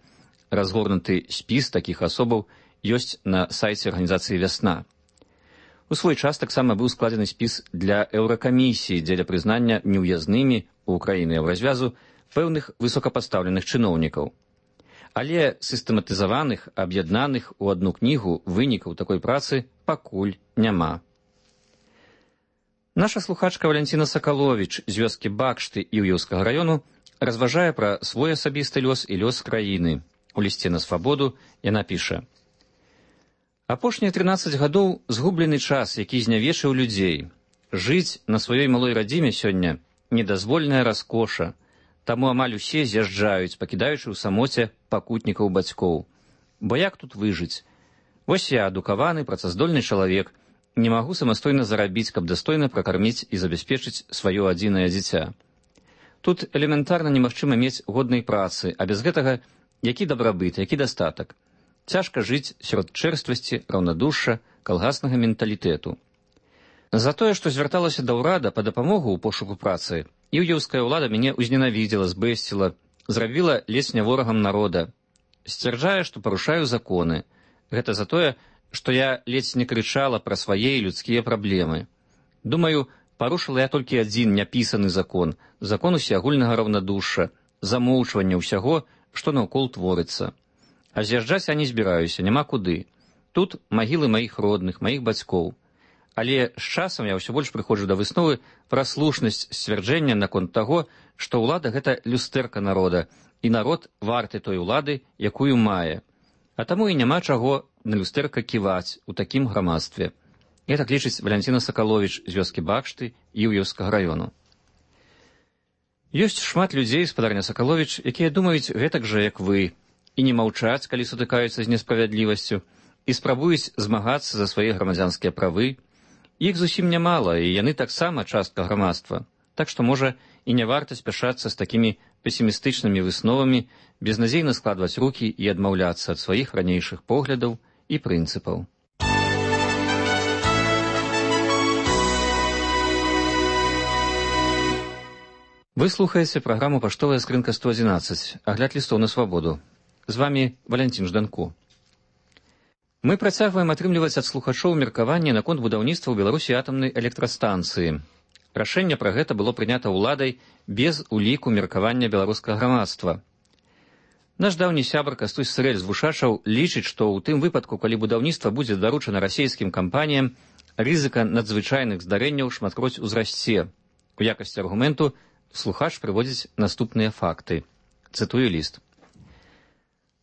Разгорнуты спіс такіх асобаў ёсць на сайце арганізацыі «Вясна». У свой час таксама быў складзены спіс для Еўракамісіі дзеля прызнання неўязнымі ў краіны Еўразвязу пэўных высокапастаўленых чыноўнікаў. Але сістэматызаваных, аб'яднаных у адну кнігу вынікаў такой працы пакуль няма. Наша слухачка Валянціна Сакаловіч з вёскі Бакшты Іўеўскага раёну разважае пра свой асабісты лёс і лёс краіны. У лісце на свабоду яна піша: «Апошнія 13 гадоў згублены час, які знявечыў людзей. Жыць на сваёй малой радзіме сёння недазвольная раскоша. Таму амаль усе з'язджаюць, пакідаючы ў самоце пакутнікаў бацькоў. Бо як тут выжыць? Вось я, адукаваны, працаздольны чалавек, не магу самастойна зарабіць, каб дастойна пракарміць і забяспечыць сваё адзінае дзіця. Тут элементарна немагчыма мець годнай працы, а без гэтага які дабрабыт, які дастатак. Цяжка жыць сярод чэрствасці, раўнадушша, калгаснага менталітэту. За тое, што звярталася да ўрада па дапамогу ў пошуку працы, іўеўская ўлада мяне ўзненавідзела, збэсціла, зрабіла ледзь не ворагам народа. Сцвярджае, што парушаю законы. Гэта за тое, што я ледзь не крычала пра свае людскія праблемы. Думаю, парушыла я толькі адзін няпісаны закон, закон усеагульнага раўнадушша, замоўчвання ўсяго, што наўкол творыцца. А з'язджаць я не збіраюся, няма куды. Тут магілы маіх родных, маіх бацькоў. Але з часам я ўсё больш прыходжу да высновы пра слушнасць сцвярджэння наконт таго, што ўлада — гэта люстэрка народа, і народ варты той улады, якую мае. А таму і няма чаго на люстэрка ківаць у такім грамадстве. І так лічыць Валянціна Сакаловіч з вёскі Бакшты Іўеўскага раёну. Ёсць шмат людзей, спадарня Сакаловіч, якія думаюць гэтак жа, як вы, і не маўчаць, калі сутыкаюцца з несправядлівасцю, і спрабуюць змагацца за свае грамадзянскія правы. Іх зусім нямала, і яны таксама частка грамадства. Так што, можа, і не варта спяшацца з такімі песімістычнымі высновамі, безнадзейна складваць рукі і адмаўляцца ад сваіх ранейшых поглядаў і прынцыпаў. Вы слухаеце праграму «Паштовая скрынка 111», агляд лістоў на свабоду. З вамі Валянцін Жданку. Мы працягваем атрымліваць ад слухачоў меркаванне наконт будаўніцтва ў Беларусі атамнай электрастанцыі. Рашэнне пра гэта было прынята ўладай без уліку меркавання беларускага грамадства. Наш даўні сябар Кастусь Сырэль з Вушачаў лічыць, што ў тым выпадку, калі будаўніцтва будзе даручана расійскім кампаніям, рызыка надзвычайных здарэнняў шматкроць узрасце. У якасці аргументу слухач прыводзіць наступныя факты. Цытую ліст.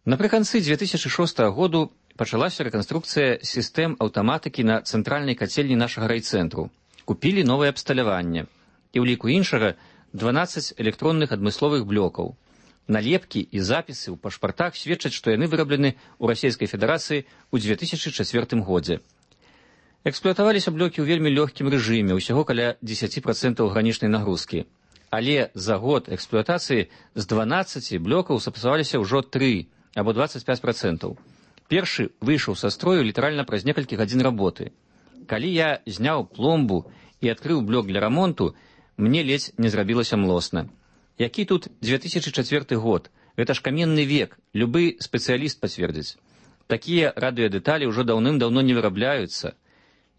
Напрыканцы 2006 году пачалася рэканструкцыя сістэм аўтаматыкі на цэнтральнай кацельні нашага райцэнтру. Купілі новае абсталяванне. І ў ліку іншага 12 электронных адмысловых блокаў. Налепкі і запісы ў пашпартах сведчаць, што яны выраблены ў Расійскай Федэрацыі ў 2004 годзе. Эксплуатаваліся блокі ў вельмі лёгкім рэжыме, усяго каля 10% гранічнай нагрузкі. Але за год эксплуатацыі з 12 блокаў сапсаваліся ўжо 3 або 25%. Першы выйшаў са строю літаральна праз некалькі гадзін работы. Калі я зняў пломбу і адкрыў блок для рамонту, мне ледзь не зрабілася млосна. Які тут 2004 год? Гэта ж каменны век, любы спецыяліст пацвердзіць. Такія радыёдэталі ўжо даўным-даўно не вырабляюцца.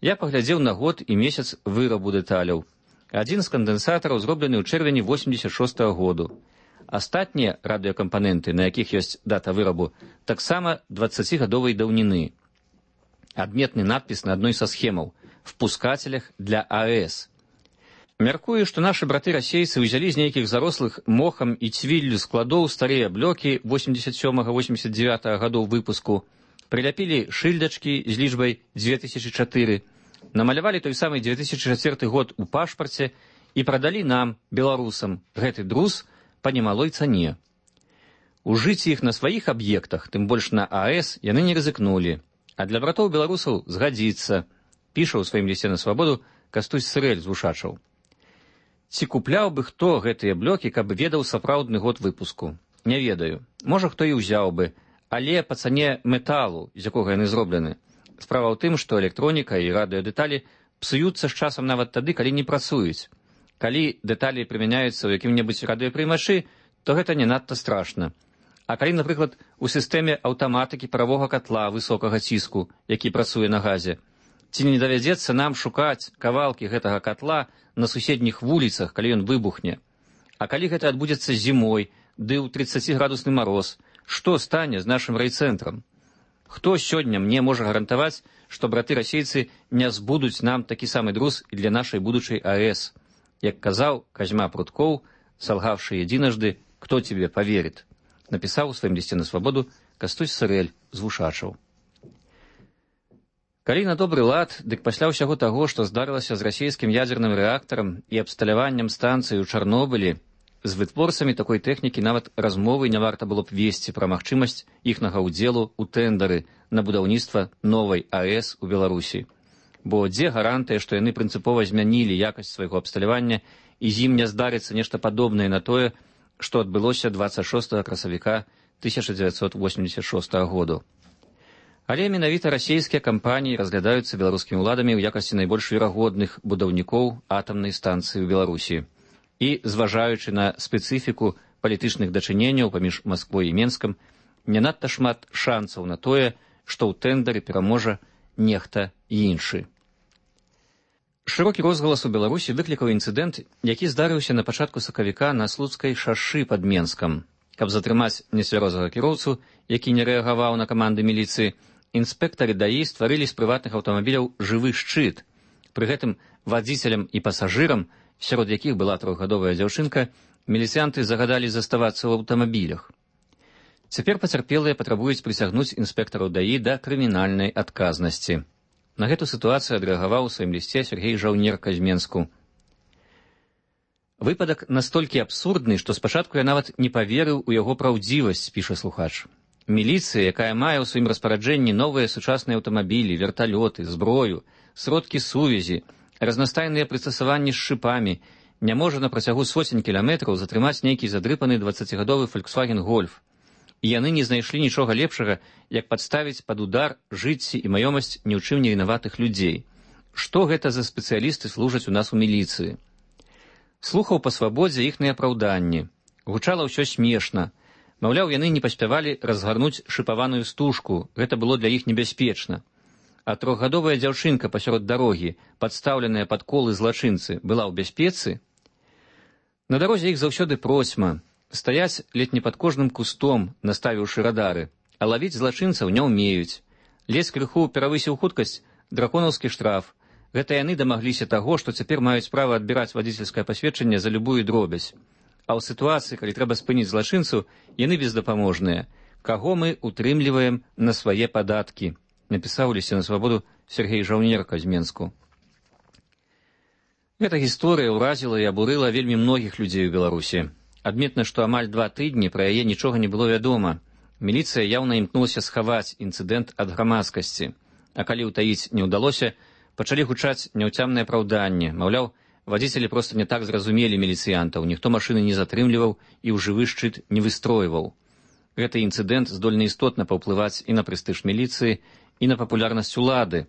Я паглядзеў на год і месяц вырабу дэталяў. Адзін з кандэнсатараў зроблены ў чэрвені 86 году. Астатнія радыёкампаненты, на якіх ёсць дата вырабу, таксама 20-гадовай даўніны. Адметны надпіс на адной са схемаў «Впускателях для АЭС». Мяркую, што нашы браты-расейцы ўзялі з нейкіх зарослых мохам і цвіллю складоў старыя блокі 87-89 гадоў выпуску, прыляпілі шыльдачкі з лічбай 2004, намалявалі той самы 2004 год у пашпарце і прадалі нам, беларусам, гэты друз па немалой цане. Ужыць іх на сваіх аб'ектах, тым больш на АЭС, яны не рызыкнулі, а для братоў-беларусаў згадзіцца, піша ў сваім лісце на свабоду Кастусь Сырэль з Вушачаў. Ці купляў бы хто гэтыя блокі, каб ведаў сапраўдны год выпуску? Не ведаю. Можа, хто і ўзяў бы, але па цане металу, з якога яны зроблены. Справа ў тым, што электроніка і радыёдэталі псуюцца з часам нават тады, калі не працуюць. Калі дэталі прымяняюцца ў якім-небудзь радыёпрымачы, то гэта не надта страшна. А калі, напрыклад, у сістэме аўтаматыкі паравога катла высокага ціску, які працуе на газе, ці не давядзецца нам шукаць кавалкі гэтага катла на суседніх вуліцах, калі ён выбухне? А калі гэта адбудзецца зімой, ды ў 30-градусны мароз, што стане з нашым райцэнтрам? Хто сёння мне можа гарантаваць, што браты-расейцы не збудуць нам такі самы друз і для нашай будучай АЭС? Як казаў Казьма Пруткоў, салгавшы единожды, кто тебе поверит? Напісаў у сваім лісце на свабоду Кастусь Сырэль з Вушачаў. Калі на добры лад, дык пасля ўсяго таго, што здарылася з расійскім ядзерным рэактарам і абсталяваннем станцыі ў Чарнобылі, з вытворцамі такой тэхнікі нават размовы не варта было б весці пра магчымасць іхнага ўдзелу ў тэндары на будаўніцтва новай АЭС у Беларусі. Бо дзе гарантыя, што яны прынцыпова змянілі якасць свайго абсталявання і з ім не здарыцца нешта падобнае на тое, што адбылося 26 красавіка 1986 году. Але менавіта расійскія кампаніі разглядаюцца беларускімі ўладамі ў якасці найбольш верагодных будаўнікоў атамнай станцыі ў Беларусі. І, зважаючы на спецыфіку палітычных дачыненняў паміж Масквой і Менскам, не надта шмат шансаў на тое, што ў тэндары пераможа нехта іншы. Шырокі розгалас у Беларусі выклікаў інцыдэнт, які здарыўся на пачатку сакавіка на Слуцкай шашы пад Менскам. Каб затрымаць нецвярозага кіроўцу, які не рэагаваў на каманды міліцыі, інспектары ДАІ стварылі з прыватных аўтамабіляў жывы шчыт. Пры гэтым вадзіцелям і пасажырам, сярод якіх была 3гадовая дзяўчынка, міліцыянты загадалі заставацца ў аўтамабілях. Цяпер пацярпелыя патрабуюць прысягнуць інспектараў ДАІ да крымінальнай адказнасці. На гэту сітуацыю адрэагаваў у сваім лісце Сергей Жаўнерка з Менску. Выпадак настолькі абсурдны, што спачатку я нават не паверыў у яго праўдзівасць, піша слухач. Міліцыя, якая мае ў сваім распараджэнні новыя сучасныя аўтамабілі, верталёты, зброю, сродкі сувязі, разнастайныя прыстасаванні з шыпамі, не можа на працягу сотень кіламетраў затрымаць нейкі задрыпаны 20гадовы Volkswagen Golf. І яны не знайшлі нічога лепшага, як падставіць пад удар жыцці і маёмасць ні ў чым не вінаватых людзей. Што гэта за спецыялісты служаць у нас у міліцыі? Слухаў па свабодзе іхныя апраўданні. Гучала ўсё смешна. Маўляў, яны не паспявалі разгарнуць шыпаваную стужку, гэта было для іх небяспечна. А 3гадовая дзяўчынка пасярод дарогі, падстаўленая пад колы злачынцы, была ў бяспецы? На дарозе іх заўсёды процьма. Стаяць ледь не пад кожным кустом, наставіўшы радары, а лавіць злачынцаў не ўмеюць. Ледзь крыху перавысіў хуткасць, драконаўскі штраф. Гэта яны дамагліся таго, што цяпер маюць права адбіраць вадзіцельскае пасведчанне за любую дробязь. А ў сітуацыі, калі трэба спыніць злачынцу, яны бездапаможныя. Каго мы утрымліваем на свае падаткі? Напісаў у лісце на свабоду Сергей Жаўнерка з Менску. Гэта гісторыя ўразіла і абурыла вельмі многіх людзей у Беларусі. Адметна, што амаль 2 тыдні пра яе нічога не было вядома. Міліцыя яўна імкнулася схаваць інцыдэнт ад грамадскасці. А калі ўтаіць не ўдалося, пачалі гучаць няўцямныя апраўданні. Маўляў, вадзіцелі проста не так зразумелі міліцыянтаў, ніхто машыны не затрымліваў і ў жывы шчыт не выстройваў. Гэты інцыдэнт здольны істотна паўплываць і на прэстыж міліцыі, і на папулярнасць улады.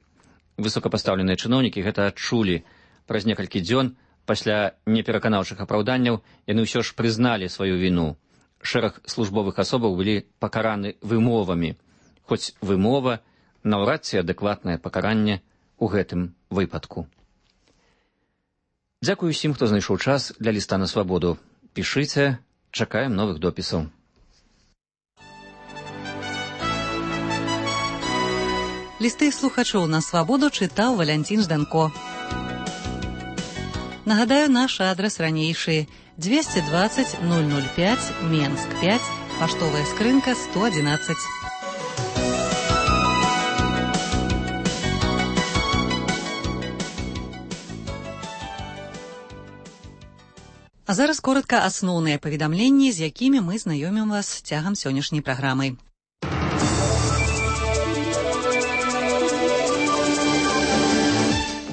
Высокапастаўленыя чыноўнікі гэта адчулі. Праз некалькі дзён пасля непераканаўчых апраўданняў яны ўсё ж прызналі сваю віну. Шэраг службовых асобаў былі пакараны вымовамі. Хоць вымова наўрад ці адэкватнае пакаранне ў гэтым выпадку. Дзякую усім, хто знайшоў час для ліста на свабоду. Пішыце, чакаем новых допісаў. Лісты слухачоў на свабоду чытаў Валянцін Жданко. Нагадаю, наш адрес ранейшы 220 005 Менск 5, паштовая скрынка 111. А зараз коротка асноўныя паведамленні, з якімі мы знаёмім вас цягам сённяшняй праграмы.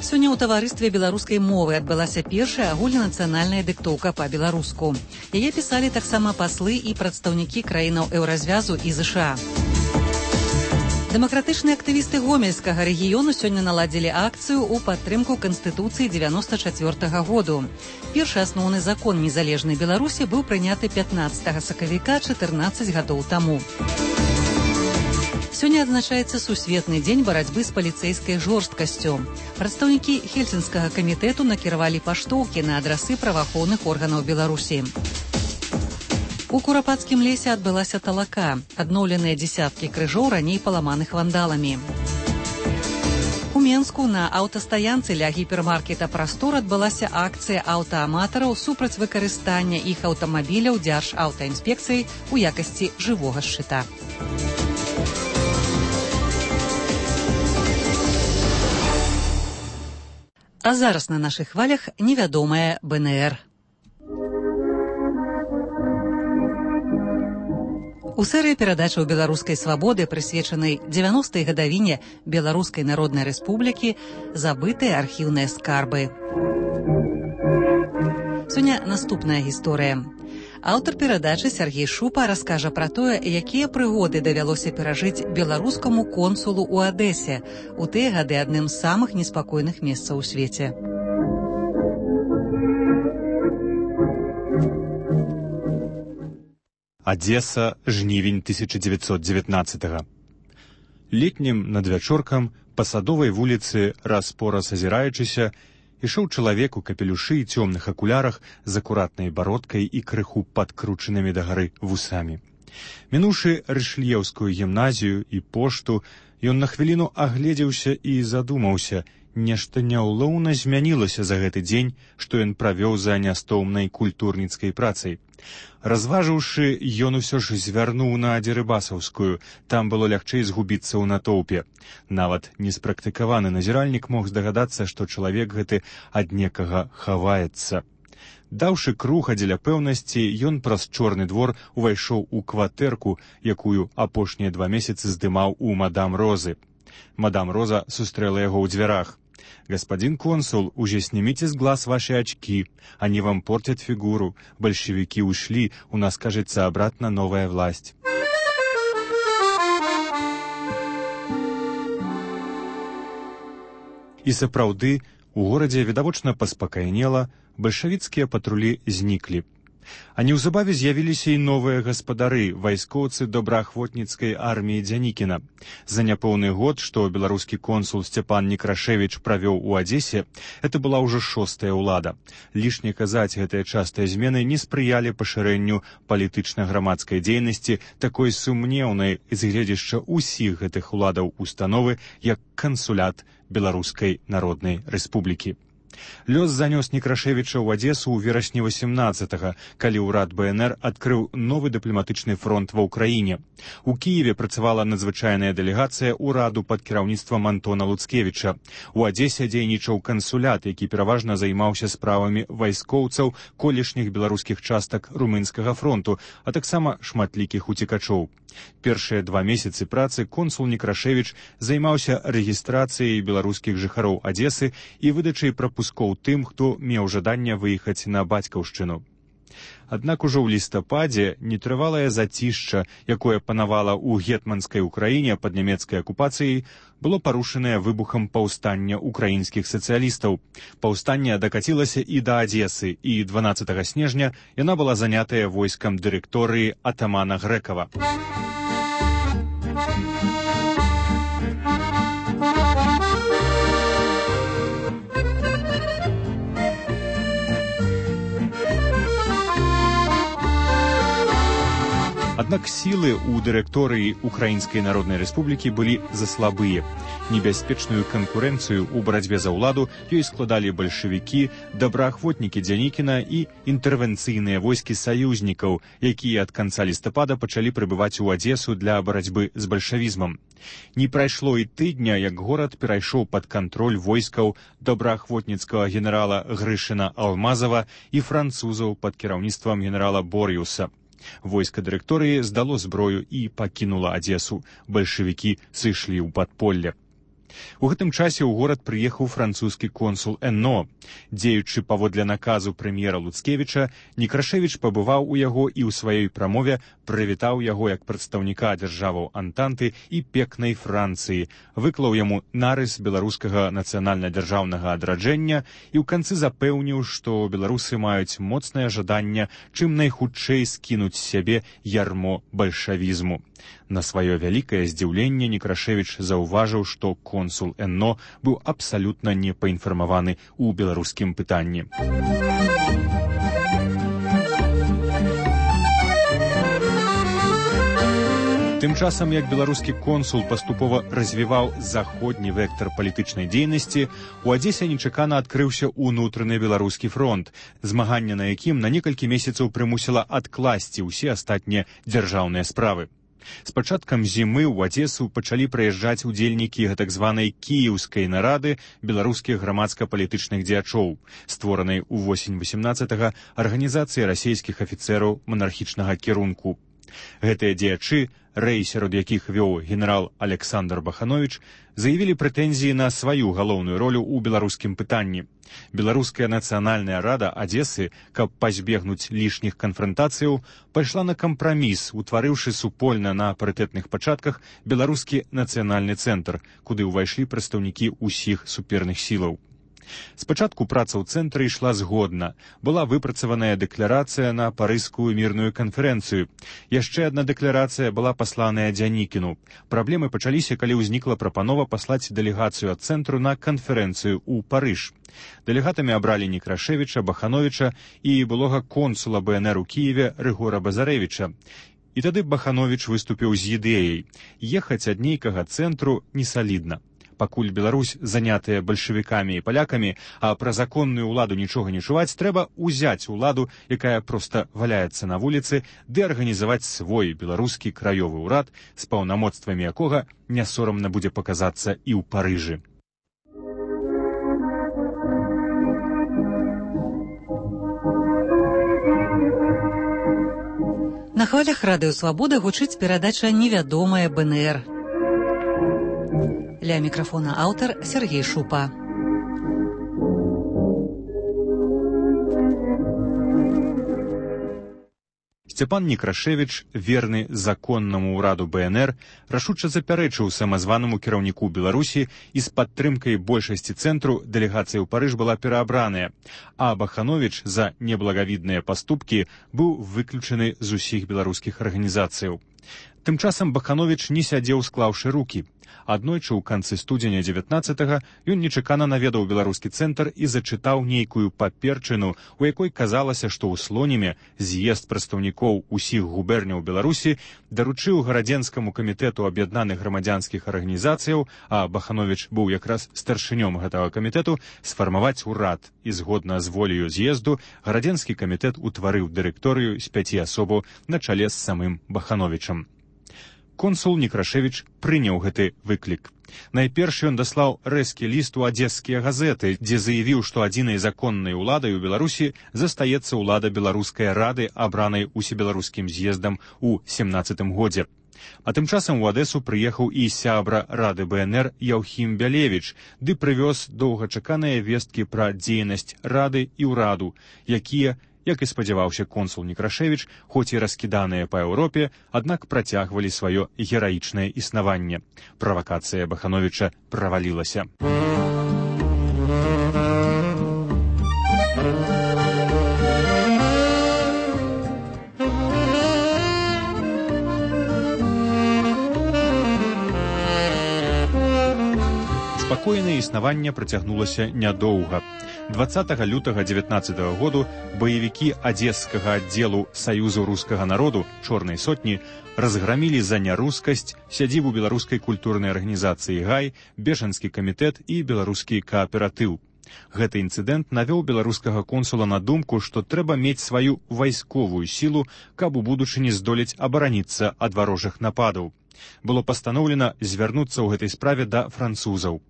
Сёння ў таварыстве беларускай мовы адбылася першая агульнанацыянальная дыктоўка па-беларуску. Яе пісалі таксама паслы і прадстаўнікі краінаў еўразвязу і ЗША. Дэмакратычныя актывісты гомельскага рэгіёну сёння наладзілі акцыю ў падтрымку Канстытуцыі 94-го году. Першы асноўны закон незалежнай Беларусі быў прыняты 15 сакавіка 14 гадоў таму. Сёння адзначаецца сусветны дзень барацьбы з паліцэйскай жорсткасцю. Прадстаўнікі Хельсінскага камітэту накіравалі паштоўкі на адрасы праваахоўных органаў Беларусі. У Курапацкім лесе адбылася талака, адноўленыя дзесяткі крыжоў раней паламаных вандаламі. У Менску на аўтастаянцы ля гіпермаркета «Прастор» адбылася акцыя аўтааматараў супраць выкарыстання іх аўтамабіляў Дзяржаўтаінспекцыяй у якасці жывога шчыта. А зараз на нашых хвалях невядомая БНР. У серыі перадачаў беларускай свабоды, прысвечанай 90-й гадавіне Беларускай Народнай Рэспублікі, забытыя архіўныя скарбы. Сёння наступная гісторыя. Аўтар перадачы Сергей Шупа раскажа пра тое, якія прыгоды давялося перажыць беларускаму консулу ў Адэсе, у тыя гады адным з самых неспакойных месцаў у свеце. Адеса, жнівень 1919-го. Летнім надвячоркам па Садовай вуліцы, раз-пораз азіраючыся, ішоў чалавек у капелюшы і цёмных акулярах з акуратнай бародкай і крыху падкручанымі дагары вусамі. Мінуўшы Рышлеўскую гімназію і пошту, ён на хвіліну агледзеўся і задумаўся, нешта няўлоўна змянілася за гэты дзень, што ён правёў за нястомнай культурніцкай працай. Разважыўшы, ён усё ж звярнуў на Дзерыбасаўскую, там было лягчэй згубіцца ў натоўпе. Нават неспрактыкаваны назіральнік мог здагадацца, што чалавек гэты ад некага хаваецца. Даўшы круг дзеля пэўнасці, ён праз чорны двор увайшоў у кватэрку, якую апошнія 2 месяцы здымаў у мадам Розы. Мадам Роза сустрэла яго ў дзвярах. «Господин консул, уже снимите с глаз ваши очки. Они вам портят фигуру. Большевики ушли, у нас, кажется, обратно новая власть». І сапраўды, у горадзе відавочна паспакайнела, бальшавіцкія патрулі зніклі. А неўзабаве з'явіліся і новыя гаспадары, вайскоўцы добраахвотніцкай арміі Дзянікіна. За няпоўны год, што беларускі консул Сцяпан Некрашевіч правёў у Адзесе, это была ўжо 6-я ўлада. Лішне казаць, гэтыя частыя змены не спрыялі пашырэнню палітычна-грамадскай дзейнасці, такой сумнеўнай з гледзяшча ўсіх гэтых уладаў установы, як кансулят Беларускай Народнай Рэспублікі. Лёс занёс Некрашевіча ў Адесу ў верасні 18-го, калі ўрад БНР адкрыў новы дыпламатычны фронт ва ўкраіне. У Кіеве працавала надзвычайная дэлегацыя ўраду пад кіраўніцтвам Антона Луцкевіча. У Адесе дзейнічаў кансулят, які пераважна займаўся справамі вайскоўцаў колішніх беларускіх частак румынскага фронту, а таксама шматлікіх уцекачоў. Першыя 2 месяцы працы консул Некрашевіч займаўся рэгістрацыяй беларускіх жыхароў Адесы і выдачай прапускоў тым, хто меў жаданне выехаць на бацькаўшчыну. Аднак ужо ў лістападзе нетрывалае зацішча, якое панавала ў гетманскай Украіне пад нямецкай акупацыяй, было парушанае выбухам паўстання украінскіх сацыялістаў. Паўстанне дакацілася і да Адзесы, і 12 снежня яна была занятая войскам дырэкторыі атамана Грэкава. Аднак сілы ў дырэкторыі Украінскай Народнай Рэспублікі былі заслабыя. Небяспечную канкурэнцыю ў барацьбе за ўладу ёй складалі бальшавікі, добраахвотнікі Дзянікіна і інтэрвенцыйныя войскі саюзнікаў, якія ад канца лістапада пачалі прыбываць у Адзесу для барацьбы з бальшавізмам. Не прайшло і тыдня, як горад перайшоў пад кантроль войскаў добраахвотніцкага генерала Грышына Алмазава і французаў пад кіраўніцтвам генерала Бор'юса. Войска дырэкторыі здало зброю і пакінула Адзесу. Бальшавікі сышлі ў падполле. У гэтым часе ў горад прыехаў французскі консул Энно. Дзеючы паводле наказу прэм'ера Луцкевіча, Некрашевіч пабываў у яго і ў сваёй прамове прывітаў яго як прадстаўніка дзяржаваў Антанты і пекнай Францыі, выклаў яму нарыс беларускага нацыянальна-дзяржаўнага адраджэння і ў канцы запэўніў, што беларусы маюць моцнае жаданне чым найхутчэй скінуць з сябе ярмо бальшавізму. На сваё вялікае здзіўленне Некрашевіч заўважыў, што консул Энно быў абсалютна не паінфармаваны ў беларускім пытанні. Тым часам, як беларускі консул паступова развіваў заходні вектар палітычнай дзейнасці, у Адзесе нечакана адкрыўся ўнутраны беларускі фронт, змаганне на якім на некалькі месяцаў прымусіла адкласці ўсе астатнія дзяржаўныя справы. З пачаткам зімы ў Адзесу пачалі прыязджаць удзельнікі гэтак званай кіеўскай нарады беларускіх грамадска-палітычных дзеячоў, створанай у восень 18-га арганізацыі расейскіх афіцэраў манархічнага кірунку. Гэтыя дзеячы, рэй сярод якіх вёў генерал Александр Бахановіч, заявілі прэтэнзіі на сваю галоўную ролю ў беларускім пытанні. Беларуская нацыянальная рада Адзесы, каб пазбегнуць лішніх канфрантацыяў, пайшла на кампраміс, утварыўшы супольна на парытэтных пачатках беларускі нацыянальны цэнтр, куды ўвайшлі прадстаўнікі ўсіх суперных сілаў. Спачатку праца ў цэнтры ішла згодна. Была выпрацаваная дэкларацыя на парыжскую мірную канферэнцыю. Яшчэ адна дэкларацыя была пасланая Дзянікіну. Праблемы пачаліся, калі ўзнікла прапанова паслаць дэлегацыю ад цэнтру на канферэнцыю ў Парыж. Дэлегатамі абралі Некрашевіча, Бахановіча і былога консула БНР у Кіеве Рыгора Базарэвіча. І тады Бахановіч выступіў з ідэяй: ехаць ад нейкага цэнтру несалідна. Пакуль Беларусь занятая бальшавікамі і палякамі, а пра законную ўладу нічога не чуваць, трэба ўзяць уладу, якая проста валяецца на вуліцы, ды арганізаваць свой беларускі краёвы ўрад, з паўнамоцтвамі якога не сорамна будзе паказацца і ў Парыжы. На хвалях радыё «Свабода» гучыць перадача «Невядомая БНР». Ля мікрафона аўтар Сергей Шупа. Сцяпан Некрашевіч, верны законнаму ўраду БНР, рашуча запярэчыў самазванаму кіраўніку Беларусі і з падтрымкай большасці цэнтру дэлегацыя ў Парыж была пераабраная, а Бахановіч за неблагавідныя паступкі быў выключаны з усіх беларускіх арганізацыяў. Тым часам Бахановіч не сядзеў, склаўшы рукі. Аднойчы ў канцы студзеня 19-га ён нечакана наведаў беларускі цэнтр і зачытаў нейкую паперчыну, у якой казалася, што ў Слоніме з'езд прадстаўнікоў усіх губерняў Беларусі даручыў гарадзенскаму камітэту аб'яднаных грамадзянскіх арганізацыяў, а Бахановіч быў якраз старшынём гэтага камітэту, сфармаваць урад, і згодна з воляю з'езду гарадзенскі камітэт утварыў дырэкторыю з 5 асобаў на чале з самым Бахановічам. Консул Некрашевіч прыняў гэты выклік. Найперш ён даслаў рэзкі ліст у адзескія газеты, дзе заявіў, што адзінай законнай уладай у Беларусі застаецца ўлада беларускай рады, абранай усебеларускім з'ездам у 17-м годзе. А тым часам у Адэсу прыехаў і сябра рады БНР Яўхім Бялевіч, ды прывёз доўгачаканыя весткі пра дзейнасць рады і ўраду, якія, як і спадзяваўся консул Некрашевіч, хоць і раскіданыя па Еўропе, аднак працягвалі сваё гераічнае існаванне. Правакацыя Бахановіча правалілася. Спакойнае існаванне працягнулася нядоўга. 20 лютага 19 году баевікі адзескага аддзелу Саюзу рускага народу «Чорнай сотні» разграмілі за нярускасць сядзібу беларускай культурнай арганізацыі «Гай», бежанскі камітэт і беларускі кааператыў. Гэты інцыдэнт навёў беларускага консула на думку, што трэба мець сваю вайсковую сілу, каб у будучыні здолець абараніцца ад варожых нападаў. Было пастаноўлена звярнуцца ў гэтай справе да французаў.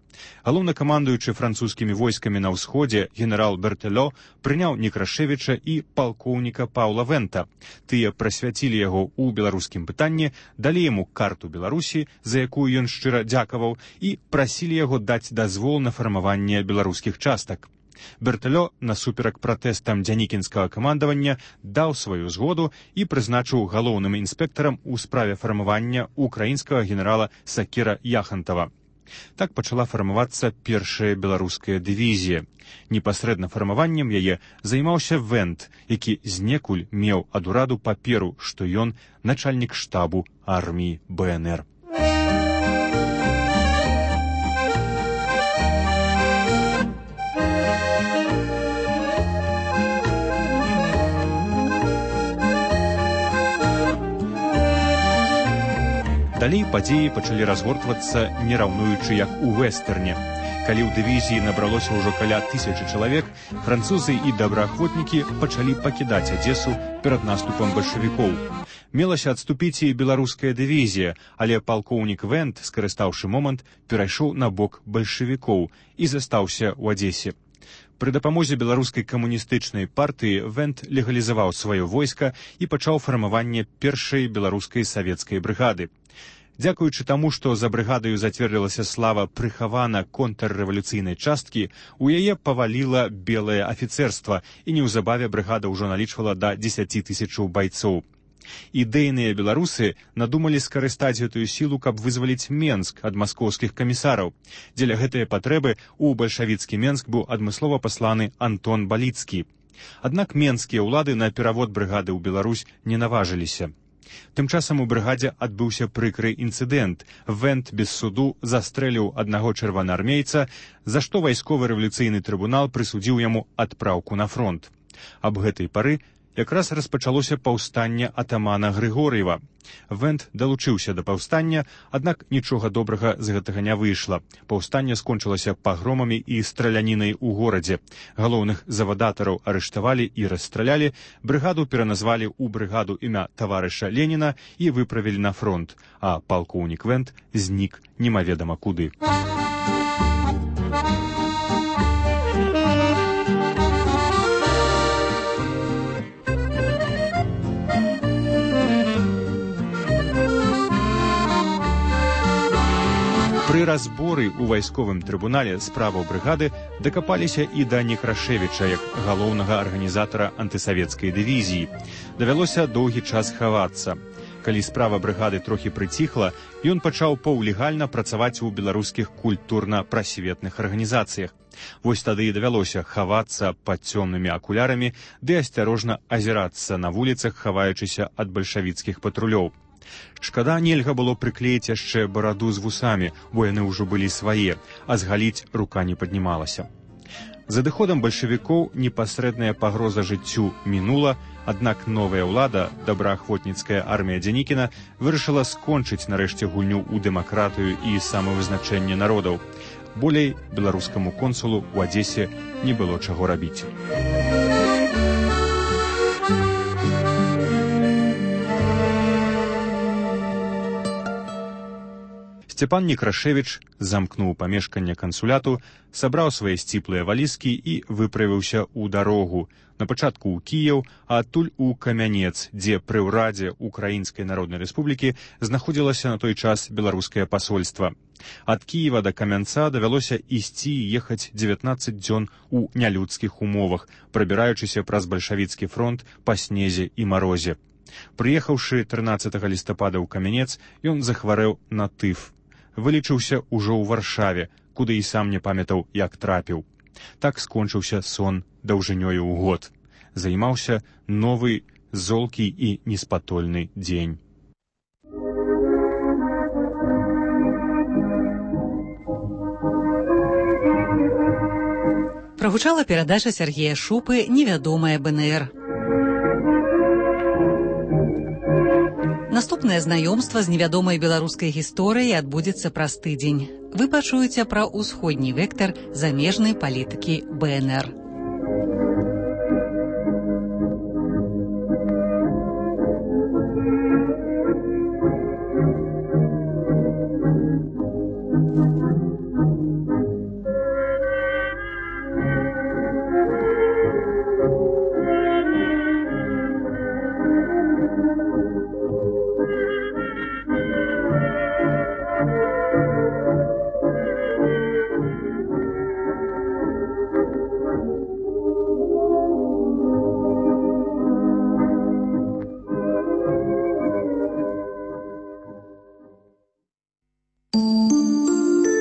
Галоўнакамандуючы французскімі войскамі на ўсходзе генерал Бертэлё прыняў Некрашевіча і палкоўніка Паўла Вента. Тыя прысвяцілі яго ў беларускім пытанні, далі яму карту Беларусі, за якую ён шчыра дзякаваў, і прасілі яго даць дазвол на фармаванне беларускіх частак. Бертэлё, насуперак пратэстам дзянікінскага камандавання, даў сваю згоду і прызначыў галоўным інспектарам у справе фармавання украінскага генерала Сакіра Яхантава. Так пачала фармавацца першая беларуская дывізія. Непасрэдна фармаваннем яе займаўся Вент, які знекуль меў ад ураду паперу, што ён начальнік штабу арміі БНР. Далей падзеі пачалі разгортвацца, не раўнуючы як у вэстэрне. Калі ў дывізіі набралося ўжо каля 1000 чалавек, французы і добраахвотнікі пачалі пакідаць Адзесу перад наступам бальшавікоў. Мелася адступіць і беларуская дывізія, але палкоўнік Вент, скарыстаўшы момант, перайшоў на бок бальшавікоў і застаўся ў Адзесе. Пры дапамозе беларускай камуністычнай партыі Вент легалізаваў сваё войска і пачаў фармаванне першай беларускай савецкай брыгады. Дзякуючы таму, што за брыгадаю зацвердзілася слава прыхавана контррэвалюцыйнай часткі, у яе паваліла белае афіцэрства, і неўзабаве брыгада ўжо налічвала да 10 000 байцоў. Ідэйныя беларусы надумалі скарыстаць гэтую сілу, каб вызваліць Менск ад маскоўскіх камісараў. Дзеля гэтай патрэбы ў бальшавіцкі Менск быў адмыслова пасланы Антон Баліцкі. Аднак менскія ўлады на перавод брыгады ў Беларусь не наважыліся. Тым часам у брыгадзе адбыўся прыкры інцыдэнт. Вент без суду застрэліў аднаго чырвонаармейца, за што вайсковы рэвалюцыйны трыбунал прысудзіў яму адпраўку на фронт. Аб гэтай пары якраз распачалося паўстанне атамана Грыгор'ева. Вент далучыўся да паўстання, аднак нічога добрага з гэтага не выйшла. Паўстанне скончылася пагромамі і стралянінай у горадзе. Галоўных завадатараў арыштавалі і расстралялі, брыгаду пераназвалі ў брыгаду імя таварыша Леніна і выправілі на фронт, а палкоўнік Вент знік немаведама куды. Пры разборы ў вайсковым трыбунале справаў брыгады дакапаліся і да Некрашевіча як галоўнага арганізатара антысавецкай дывізіі. Давялося доўгі час хавацца. Калі справа брыгады трохі прыціхла, ён пачаў паўлегальна працаваць у беларускіх культурна-прасветных арганізацыях. Вось тады і давялося хавацца пад цёмнымі акулярамі ды асцярожна азірацца на вуліцах, хаваючыся ад бальшавіцкіх патрулёў. Шкада, нельга было прыклеіць яшчэ бараду з вусамі, бо яны ўжо былі свае, а згаліць рука не паднімалася. З адыходам бальшавікоў непасрэдная пагроза жыццю мінула, аднак новая ўлада, добраахвотніцкая армія Дзянікіна, вырашыла скончыць нарэшце гульню ў дэмакратыю і самавызначэнне народаў. Болей беларускаму консулу ў Адзесе не было чаго рабіць. Сцепан Некрашевіч замкнуў памешканне кансуляту, сабраў свае сціплыя валізкі і выправіўся ў дарогу. На пачатку ў Кіеў, а адтуль у Камянец, дзе пры ўрадзе Украінскай Народнай Рэспублікі знаходзілася на той час беларускае пасольства. Ад Кіева да Камянца давялося ісці і ехаць 19 дзён у нялюдскіх умовах, прабіраючыся праз бальшавіцкі фронт па снезе і марозе. Прыехаўшы 13 лістапада ў Камянец, ён захварэў на тыф. Вылечыўся ўжо ў Варшаве, куды і сам не памятаў, як трапіў. Так скончыўся сон даўжынёю ў год. Займаўся новы, золкі і неспатольны дзень. Пра Прагучала перадача Сергея Шупы «Невядомая БНР». Наступнае знаёмства з невядомай беларускай гісторыяй адбудзецца праз тыдзень. Вы пачуеце пра ўсходні вектар замежнай палітыкі БНР.